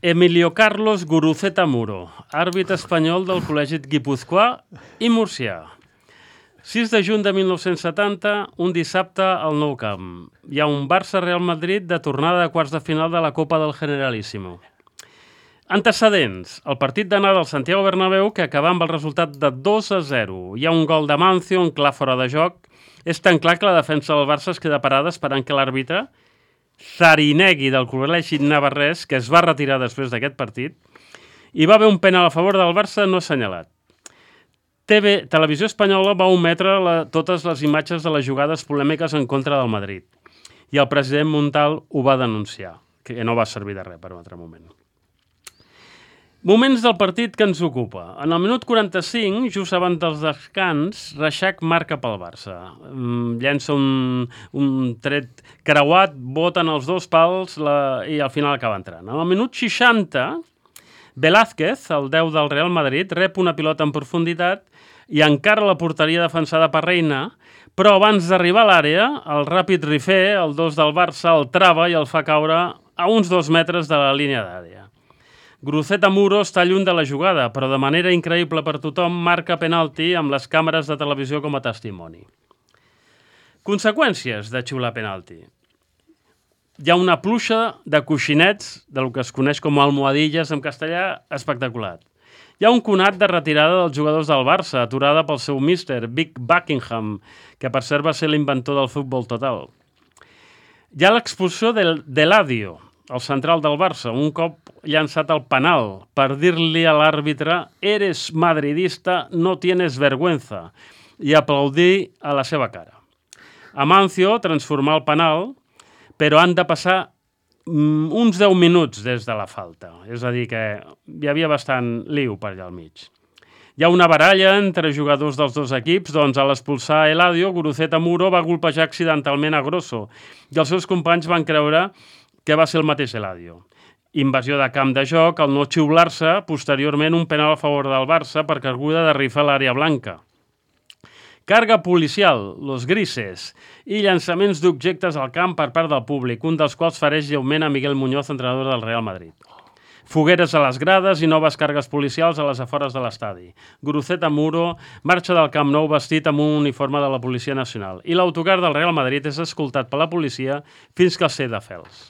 Speaker 6: Emilio Carlos Guruceta Muro, àrbit espanyol del Col·legi Guipúzcoà i Murcià. sis de juny de mil nou-cents setanta, un dissabte al Nou Camp. Hi ha un Barça-Real Madrid de tornada de quarts de final de la Copa del Generalíssimo. Antecedents. El partit d'anada al Santiago Bernabéu, que acaba amb el resultat de dos a zero. Hi ha un gol de Mancio, un clar fora de joc. És tan clar que la defensa del Barça es queda parada esperant que l'àrbitre Zarinegui del Col·legi Navarrès, que es va retirar després d'aquest partit, hi va haver un penal a favor del Barça no assenyalat. T V, Televisió Espanyola va ometre la, totes les imatges de les jugades polèmiques en contra del Madrid. I el president Montal ho va denunciar, que no va servir de res per un altre moment. Moments del partit que ens ocupa. En el minut quaranta-cinc, just abans dels descans, Reixac marca pel Barça. Mm, llença un, un tret creuat, boten els dos pals la, i al final acaba entrant. En el minut seixanta, Velázquez, el deu del Real Madrid, rep una pilota en profunditat i encara la porteria defensada per Reina, però abans d'arribar a l'àrea, el ràpid Rifé, el dos del Barça, el trava i el fa caure a uns dos metres de la línia d'àrea. Guruceta Muro està lluny de la jugada, però de manera increïble per tothom marca penalti amb les càmeres de televisió com a testimoni. Conseqüències de xiular penalti. Hi ha una pluja de coixinets, del que es coneix com almohadilles en castellà, espectacular. Hi ha un conat de retirada dels jugadors del Barça, aturada pel seu míster, Vic Buckingham, que per cert va ser l'inventor del futbol total. Hi ha l'expulsió del, de l'Adio, el central del Barça, un cop llançat al penal per dir-li a l'àrbitre «Eres madridista, no tienes vergüenza» i aplaudir a la seva cara. Amancio transformar el penal, però han de passar mm, uns deu minuts des de la falta. És a dir, que hi havia bastant liu per allà al mig. Hi ha una baralla entre jugadors dels dos equips, doncs a l'expulsar Eladio, Guruceta Muro va golpejar accidentalment a Grosso i els seus companys van creure que va ser el mateix Eladio. Invasió de camp de joc, al no xiular-se, posteriorment un penal a favor del Barça per carguda de rifle a l'àrea blanca. Carga policial, los grises, i llançaments d'objectes al camp per part del públic, un dels quals fereix lleument a Miguel Muñoz, entrenador del Real Madrid. Fogueres a les grades i noves cargues policials a les afores de l'estadi. Guruceta Muro marxa del Camp Nou vestit amb un uniforme de la Policia Nacional i l'autocar del Real Madrid és escoltat per la policia fins que el sé de fels.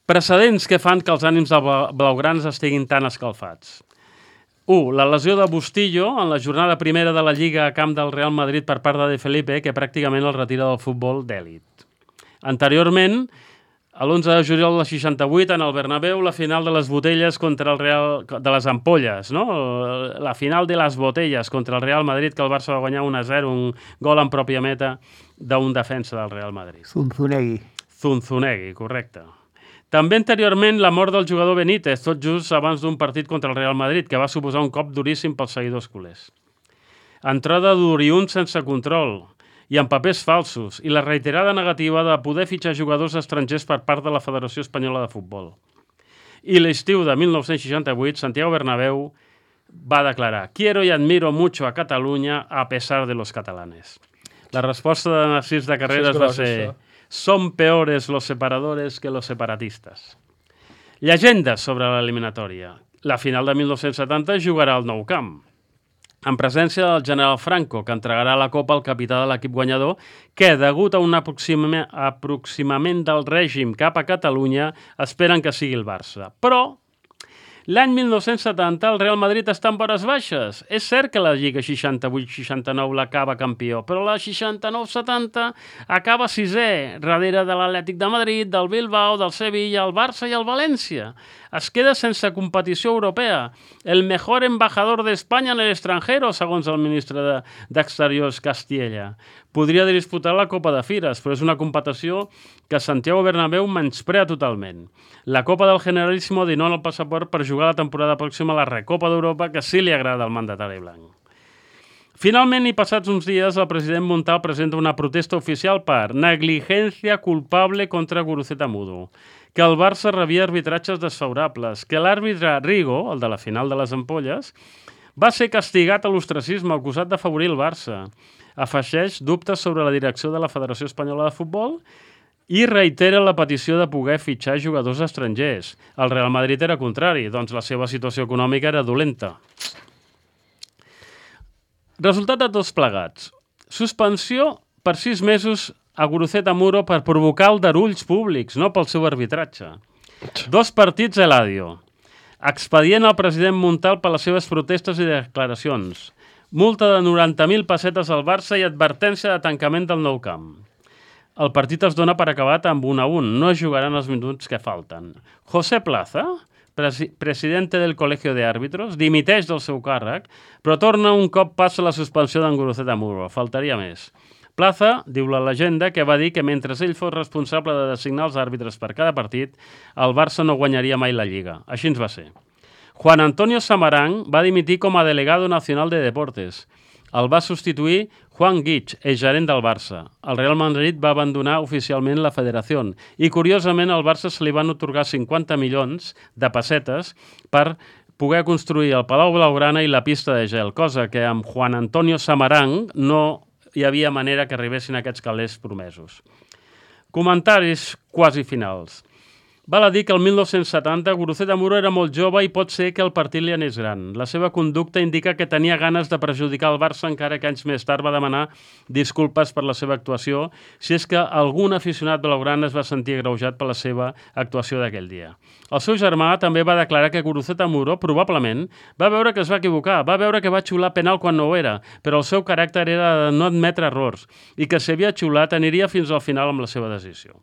Speaker 6: Precedents que fan que els ànims dels blaugrans estiguin tan escalfats. u. La lesió de Bustillo en la jornada primera de la Lliga a camp del Real Madrid per part de De Felipe, que pràcticament el retira del futbol d'èlit. Anteriorment, a l'onze de juliol del seixanta-vuit, en el Bernabéu, la final de les botelles contra el Real... de les ampolles, no? La final de les botelles contra el Real Madrid, que el Barça va guanyar un a zero, un gol en pròpia meta d'un defensa del Real Madrid.
Speaker 5: Zunzunegui.
Speaker 6: Zunzunegui, correcte. També anteriorment la mort del jugador Benítez, tot just abans d'un partit contra el Real Madrid, que va suposar un cop duríssim pels seguidors culers. Entrada d'Oriun sense control i amb papers falsos, i la reiterada negativa de poder fitxar jugadors estrangers per part de la Federació Espanyola de Futbol. I l'estiu de mil nou-cents seixanta-vuit, Santiago Bernabéu va declarar: «Quiero y admiro mucho a Catalunya a pesar de los catalanes». La resposta de Narcís de Carreras va ser: «Son peores los separadores que los separatistas». Llegendes sobre l'eliminatòria. La final de mil nou-cents setanta jugarà al Nou Camp, en presència del general Franco, que entregarà la copa al capità de l'equip guanyador, que, degut a un aproxima- aproximament del règim cap a Catalunya, esperen que sigui el Barça. Però l'any mil nou-cents setanta el Real Madrid està en vores baixes. És cert que la Lliga seixanta-vuit seixanta-nou l'acaba campió, però la seixanta-nou setanta acaba sisè, darrere de l'Atlètic de Madrid, del Bilbao, del Sevilla, el Barça i el València. Es queda sense competició europea. El mejor embajador d'Espanya en l'extranjero, segons el ministre de- d'Exteriors Castiella. Podria disputar la Copa de Fires, però és una competició que Santiago Bernabéu menysprea totalment. La Copa del Generalíssimo dona el passaport per jugar la temporada pròxima a la Recopa d'Europa, que sí li agrada al mandatari blanc. Finalment, i passats uns dies, el president Montal presenta una protesta oficial per negligència culpable contra Guruceta Mudo, que el Barça rebia arbitratges desfavorables, que l'àrbitre Rigo, el de la final de les ampolles, va ser castigat a l'ostracisme acusat d'afavorir el Barça. Afegeix dubtes sobre la direcció de la Federació Espanyola de Futbol i reitera la petició de poder fitxar jugadors estrangers. El Real Madrid era contrari, doncs la seva situació econòmica era dolenta. Resultat de tots plegats. Suspensió per sis mesos a Guruceta Muro per provocar aldarulls públics, no pel seu arbitratge. Dos partits a Eladio. Expedient al president Montal per les seves protestes i declaracions. Multa de noranta mil pessetes al Barça i advertència de tancament del Nou Camp. El partit es dona per acabat amb un a un. No es jugaran els minuts que falten. José Plaza, presi presidente del Colegio de Árbitros, dimiteix del seu càrrec, però torna un cop passa la suspensió d'en Guruceta Muro. Faltaria més. Plaza, diu la llegenda, que va dir que mentre ell fos responsable de designar els àrbitres per cada partit, el Barça no guanyaria mai la Lliga. Així ens va ser. Juan Antonio Samarán va dimitir com a delegado nacional de deportes. El va substituir Juan Guich, el gerent del Barça. El Real Madrid va abandonar oficialment la federació i, curiosament, al Barça se li van atorgar cinquanta milions de pessetes per poder construir el Palau Blaugrana i la pista de gel, cosa que amb Juan Antonio Samarán no hi havia manera que arribessin aquests calés promesos. Comentaris quasi finals. Val a dir que el mil nou-cents setanta Guruceta Muro era molt jove i pot ser que el partit li anés gran. La seva conducta indica que tenia ganes de perjudicar el Barça, encara que anys més tard va demanar disculpes per la seva actuació, si és que algun aficionat blaugrana es va sentir agreujat per la seva actuació d'aquell dia. El seu germà també va declarar que Guruceta Muro, probablement, va veure que es va equivocar, va veure que va xiular penal quan no ho era, però el seu caràcter era de no admetre errors i que si havia xiulat aniria fins al final amb la seva decisió.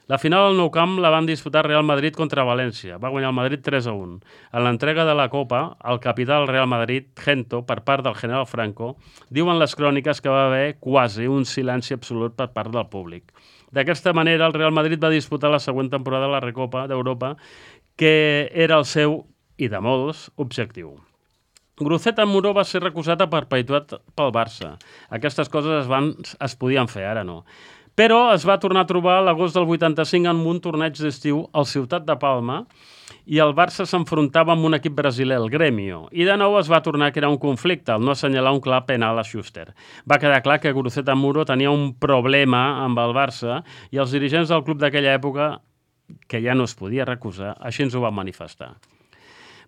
Speaker 6: La final al Nou Camp la van disputar Real Madrid contra València. Va guanyar el Madrid tres a un. En l'entrega de la Copa, el capità del Real Madrid, Gento, per part del general Franco, diuen les cròniques que va haver quasi un silenci absolut per part del públic. D'aquesta manera, el Real Madrid va disputar la següent temporada de la Recopa d'Europa, que era el seu, i de molts, objectiu. Guruceta Muro va ser recusat a perpetuïtat pel Barça. Aquestes coses es, van, es podien fer, ara no. Però es va tornar a trobar a l'agost del vuitanta-cinc en un torneig d'estiu al Ciutat de Palma i el Barça s'enfrontava amb un equip brasiler, el Grêmio, i de nou es va tornar a crear un conflicte, al no assenyalar un clar penal a Schuster. Va quedar clar que Guruceta Muro tenia un problema amb el Barça i els dirigents del club d'aquella època, que ja no es podia recusar, així ens ho van manifestar.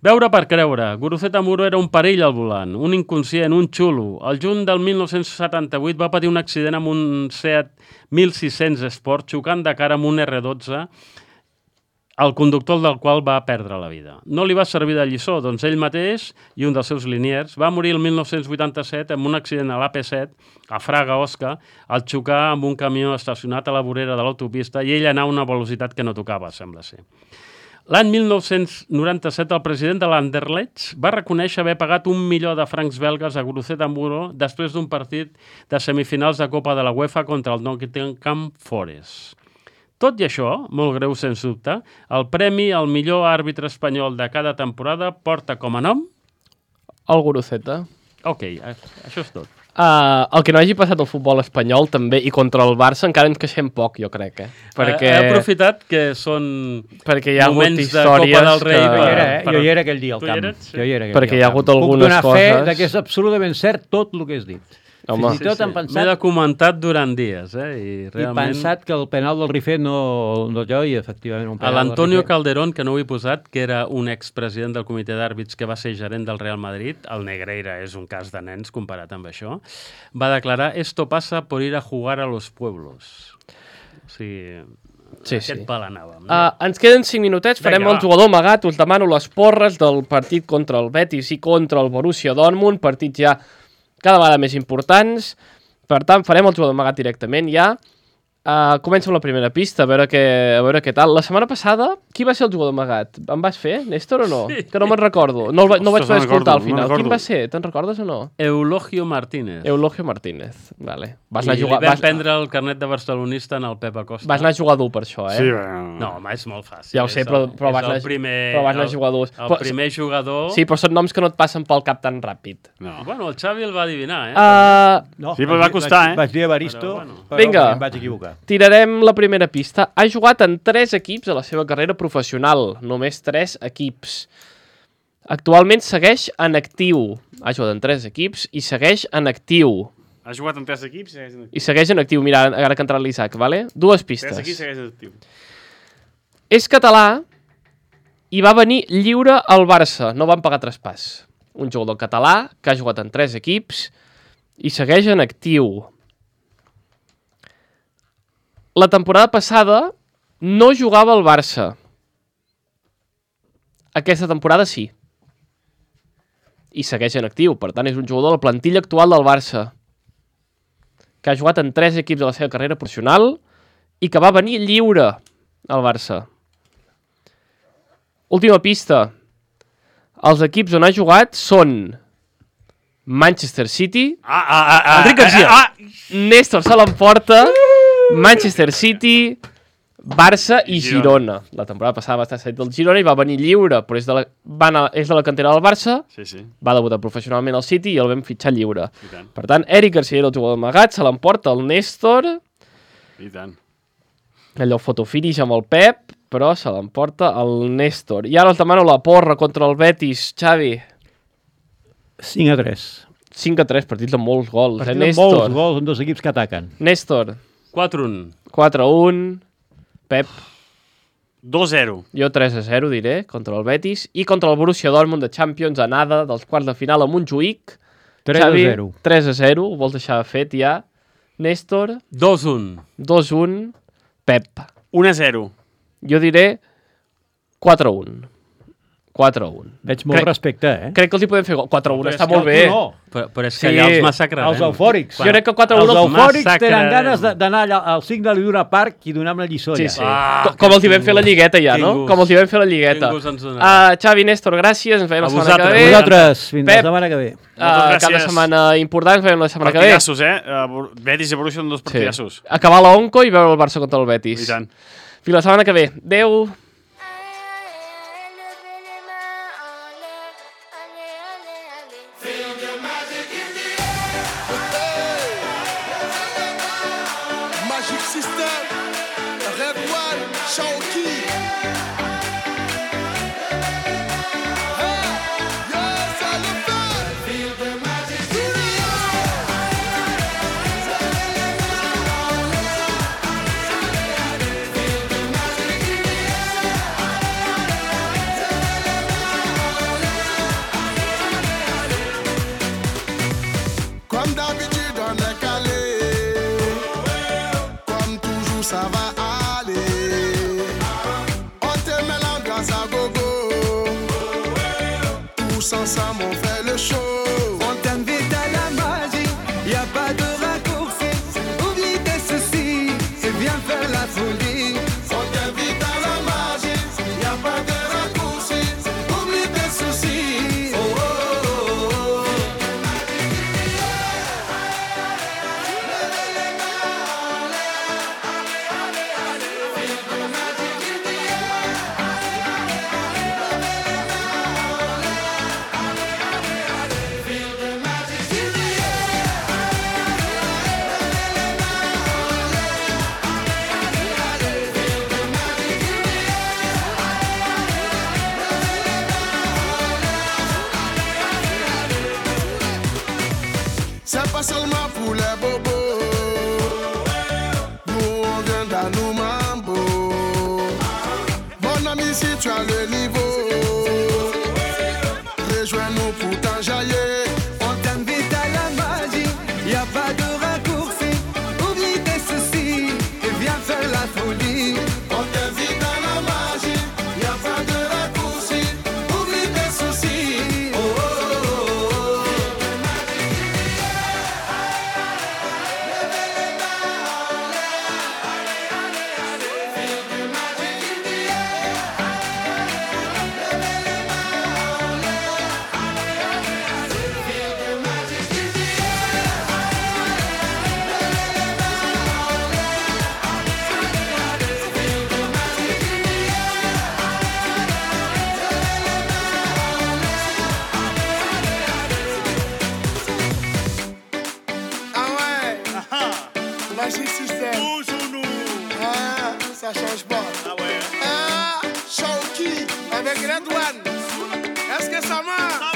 Speaker 6: Veure per creure. Guruceta Muro era un perill al volant, un inconscient, un xulo. El juny del mil nou-cents setanta-vuit va patir un accident amb un Seat mil sis-cents Sport xocant de cara amb un erre dotze, el conductor del qual va perdre la vida. No li va servir de lliçó, doncs ell mateix i un dels seus liniers va morir el mil nou-cents vuitanta-set amb un accident a l'A P set, a Fraga, Osca, al xocar amb un camió estacionat a la vorera de l'autopista i ell anar a una velocitat que no tocava, sembla ser. L'any mil nou-cents noranta-set, el president de l'Anderlecht va reconèixer haver pagat un milió de francs belgues a Guruceta Muro després d'un partit de semifinals de Copa de la UEFA contra el Nottingham Forest. Tot i això, molt greu sens dubte, el premi al millor àrbitre espanyol de cada temporada porta com a nom...
Speaker 2: El Guruceta.
Speaker 6: Ok, això és tot.
Speaker 2: Uh, el que no hagi passat al futbol espanyol també i contra el Barça encara ens queixem poc, jo crec, eh? Perquè...
Speaker 6: He aprofitat que són
Speaker 2: perquè hi ha hagut
Speaker 6: moments de Copa del Rei.
Speaker 2: Que...
Speaker 5: Jo, hi era, eh? jo hi era aquell dia al
Speaker 6: Tu hi
Speaker 5: camp.
Speaker 6: eres? Sí.
Speaker 5: Jo hi era aquell
Speaker 2: Perquè
Speaker 5: dia
Speaker 2: hi ha
Speaker 5: al
Speaker 2: hagut
Speaker 5: camp.
Speaker 2: algunes
Speaker 5: Puc donar
Speaker 2: coses...
Speaker 5: fe que és absolutament cert tot el que has dit.
Speaker 2: Home.
Speaker 5: Fins i tot
Speaker 6: Sí,
Speaker 5: hem
Speaker 6: sí.
Speaker 5: pensat...
Speaker 6: M'he documentat durant dies, eh? I
Speaker 5: I
Speaker 6: realment...
Speaker 5: pensat que el penal del Rifet no, no jo, i efectivament un
Speaker 6: A
Speaker 5: penal
Speaker 6: l'Antonio
Speaker 5: del Rifet.
Speaker 6: Calderón, que no ho he posat, que era un expresident del comitè d'àrbits que va ser gerent del Real Madrid, el Negreira és un cas de nens comparat amb això, va declarar «Esto pasa por ir a jugar a los pueblos». O sigui,
Speaker 2: Sí,
Speaker 6: aquest
Speaker 2: sí.
Speaker 6: pal anàvem. No?
Speaker 2: Uh, ens queden cinc minutets, farem
Speaker 6: Vinga,
Speaker 2: el
Speaker 6: va.
Speaker 2: jugador amagat, us demano les porres del partit contra el Betis i contra el Borussia Dortmund, partits ja cada vegada més importants. Per tant, farem el jugador amagat directament ja. Uh, començo amb la primera pista, a veure, què, a veure què tal. La setmana passada, qui va ser el jugador amagat? Em vas fer, Néstor, o no?
Speaker 6: Sí.
Speaker 2: Que no me'n recordo. No, el va, no vaig
Speaker 4: Ostres,
Speaker 2: poder
Speaker 4: no
Speaker 2: escoltar al
Speaker 4: recordo, no
Speaker 2: final.
Speaker 4: recordo.
Speaker 2: Quin va ser? Te'n recordes o no?
Speaker 6: Eulogio Martínez.
Speaker 2: Eulogio Martínez. Vale. Vas
Speaker 6: I
Speaker 2: anar a
Speaker 6: li
Speaker 2: jugar...
Speaker 6: vam
Speaker 2: Vas,
Speaker 6: prendre el carnet de barcelonista en el Pep Acosta.
Speaker 2: vas anar a jugar dur per això, eh?
Speaker 4: Sí, bueno...
Speaker 6: No, home, és molt fàcil.
Speaker 2: Ja ho sé,
Speaker 6: És
Speaker 2: però,
Speaker 6: el-
Speaker 2: però,
Speaker 6: és
Speaker 2: vas,
Speaker 6: el
Speaker 2: anar,
Speaker 6: primer,
Speaker 2: però vas anar a
Speaker 6: el-
Speaker 2: jugar dur.
Speaker 6: El
Speaker 2: Però-
Speaker 6: primer jugador...
Speaker 2: Sí, però són noms que no et passen pel cap tan ràpid.
Speaker 4: No.
Speaker 6: Bueno, el Xavi el va adivinar, eh?
Speaker 2: Uh,
Speaker 5: No,
Speaker 4: Sí, però
Speaker 5: vaig
Speaker 4: va
Speaker 5: dir-
Speaker 4: costar,
Speaker 5: vaig,
Speaker 4: eh?
Speaker 5: Vaig dir Evaristo,
Speaker 6: Però,
Speaker 5: però,
Speaker 6: bueno.
Speaker 5: però
Speaker 2: Vinga.
Speaker 5: em vaig equivocar.
Speaker 2: tirarem la primera pista. Ha jugat en tres equips a la seva carrera professional. Només tres equips. Actualment segueix en actiu. Ha jugat en tres equips i segueix en actiu.
Speaker 4: Ha jugat en tres equips i segueix en actiu.
Speaker 2: I segueix en actiu. Mira, ara que ha entrat l'Isaac, vale? Dues pistes.
Speaker 4: Tres equips i segueix en actiu.
Speaker 2: És català i va venir lliure al Barça. No van pagar traspàs. Un jugador català que ha jugat en tres equips i segueix en actiu. La temporada passada no jugava al Barça. Aquesta temporada sí. I segueix en actiu. Per tant, és un jugador de la plantilla actual del Barça, que ha jugat en tres equips de la seva carrera professional i que va venir lliure al Barça. Última pista. Els equips on ha jugat són Manchester City,
Speaker 4: Ah, ah, ah, ah,
Speaker 2: Enric Garcia,
Speaker 4: ah, ah.
Speaker 2: Néstor se l'emporta, Manchester City, Barça i Girona. La temporada passada va estar cedit del Girona i va venir lliure, però és de la, va anar, és de la cantera del Barça,
Speaker 4: Sí, sí,
Speaker 2: va debutar professionalment al City i el vam fitxar lliure.
Speaker 4: i tant,
Speaker 2: Per tant, Eric Garcia era el jugador amagat, se l'emporta el Néstor,
Speaker 4: i tant.
Speaker 2: allò fotofinish amb el Pep, però se l'emporta el Néstor. I ara els demano la porra contra el Betis, Xavi.
Speaker 5: cinc a tres.
Speaker 2: cinc a tres, partits amb molts gols,
Speaker 5: Partit
Speaker 2: eh,
Speaker 5: amb
Speaker 2: Néstor?
Speaker 5: molts gols en dos equips que ataquen.
Speaker 2: Néstor,
Speaker 6: quatre a un.
Speaker 2: quatre a un, Pep,
Speaker 4: dos zero.
Speaker 2: jo tres a zero diré, contra el Betis, i contra el Borussia Dortmund de Champions a nada dels quarts de final a Montjuïc.
Speaker 5: tres a zero.
Speaker 2: tres a zero, ho vols deixar fet ja. Néstor,
Speaker 6: dos a un.
Speaker 2: dos a un, Pep.
Speaker 4: un a zero.
Speaker 2: Jo diré quatre a un. quatre a un.
Speaker 5: Veig molt
Speaker 2: Crec-
Speaker 5: respecte, eh?
Speaker 2: Crec que els hi podem fer gol. quatre a un
Speaker 5: Però
Speaker 2: està
Speaker 5: és que
Speaker 2: molt
Speaker 5: tu
Speaker 2: bé.
Speaker 5: no.
Speaker 6: Però, però és
Speaker 2: Sí,
Speaker 6: que allà els massacrarem.
Speaker 5: Els eufòrics.
Speaker 2: Jo crec que quatre a un
Speaker 5: Els
Speaker 2: els-
Speaker 5: eufòrics tenen
Speaker 6: massacrarem.
Speaker 5: ganes de- d'anar allà al signe d'una parc i donar-me una lliçó
Speaker 2: Sí,
Speaker 5: allà.
Speaker 2: sí.
Speaker 6: Ah,
Speaker 2: Com, com els hi vam fer la lligueta ja,
Speaker 6: quin
Speaker 2: no?
Speaker 6: gust.
Speaker 2: Com els hi vam fer la lligueta.
Speaker 6: Quin gust ens donarà.
Speaker 2: Uh, Xavi, Néstor, gràcies. Ens veiem
Speaker 6: A
Speaker 2: la setmana que
Speaker 6: vosaltres.
Speaker 2: ve.
Speaker 6: A
Speaker 5: Vosaltres, fins
Speaker 2: Pep.
Speaker 5: la setmana que ve.
Speaker 2: Uh,
Speaker 4: Moltes
Speaker 2: cada
Speaker 4: gràcies.
Speaker 2: setmana important, ens veiem la setmana que ve.
Speaker 4: Partidassos, eh? Uh, Betis i Borussia són dos
Speaker 2: Sí.
Speaker 4: partidassos.
Speaker 2: Acabar la Onco i veure el Barça contra el Betis.
Speaker 4: I tant.
Speaker 2: Fins la setmana que ve. Adéu.
Speaker 7: Magic System, Red One, Shaoki. Hey, yes, I love that. Feel the magic Comme d'habitude, on est calé. Comme toujours, ça va aller. c'est pas seulement pour les bobos. Nous on vient dans nos mambo. Mon ami, si tu as le niveau, rejoins-nous pour t'enjailler.
Speaker 8: On t'invite à la magie, y a pas de raccourci. Oublie tes soucis et viens faire la folie.
Speaker 7: On t'invite à la magie, y a pas de raccourci. Oublie tes soucis. Oh, oh, oh, oh. Ah ouais, Magic System. Toujours nous. Ah, ça change pas. Ah ouais. Ah, Shawky avec Red One. Est-ce que ça marche?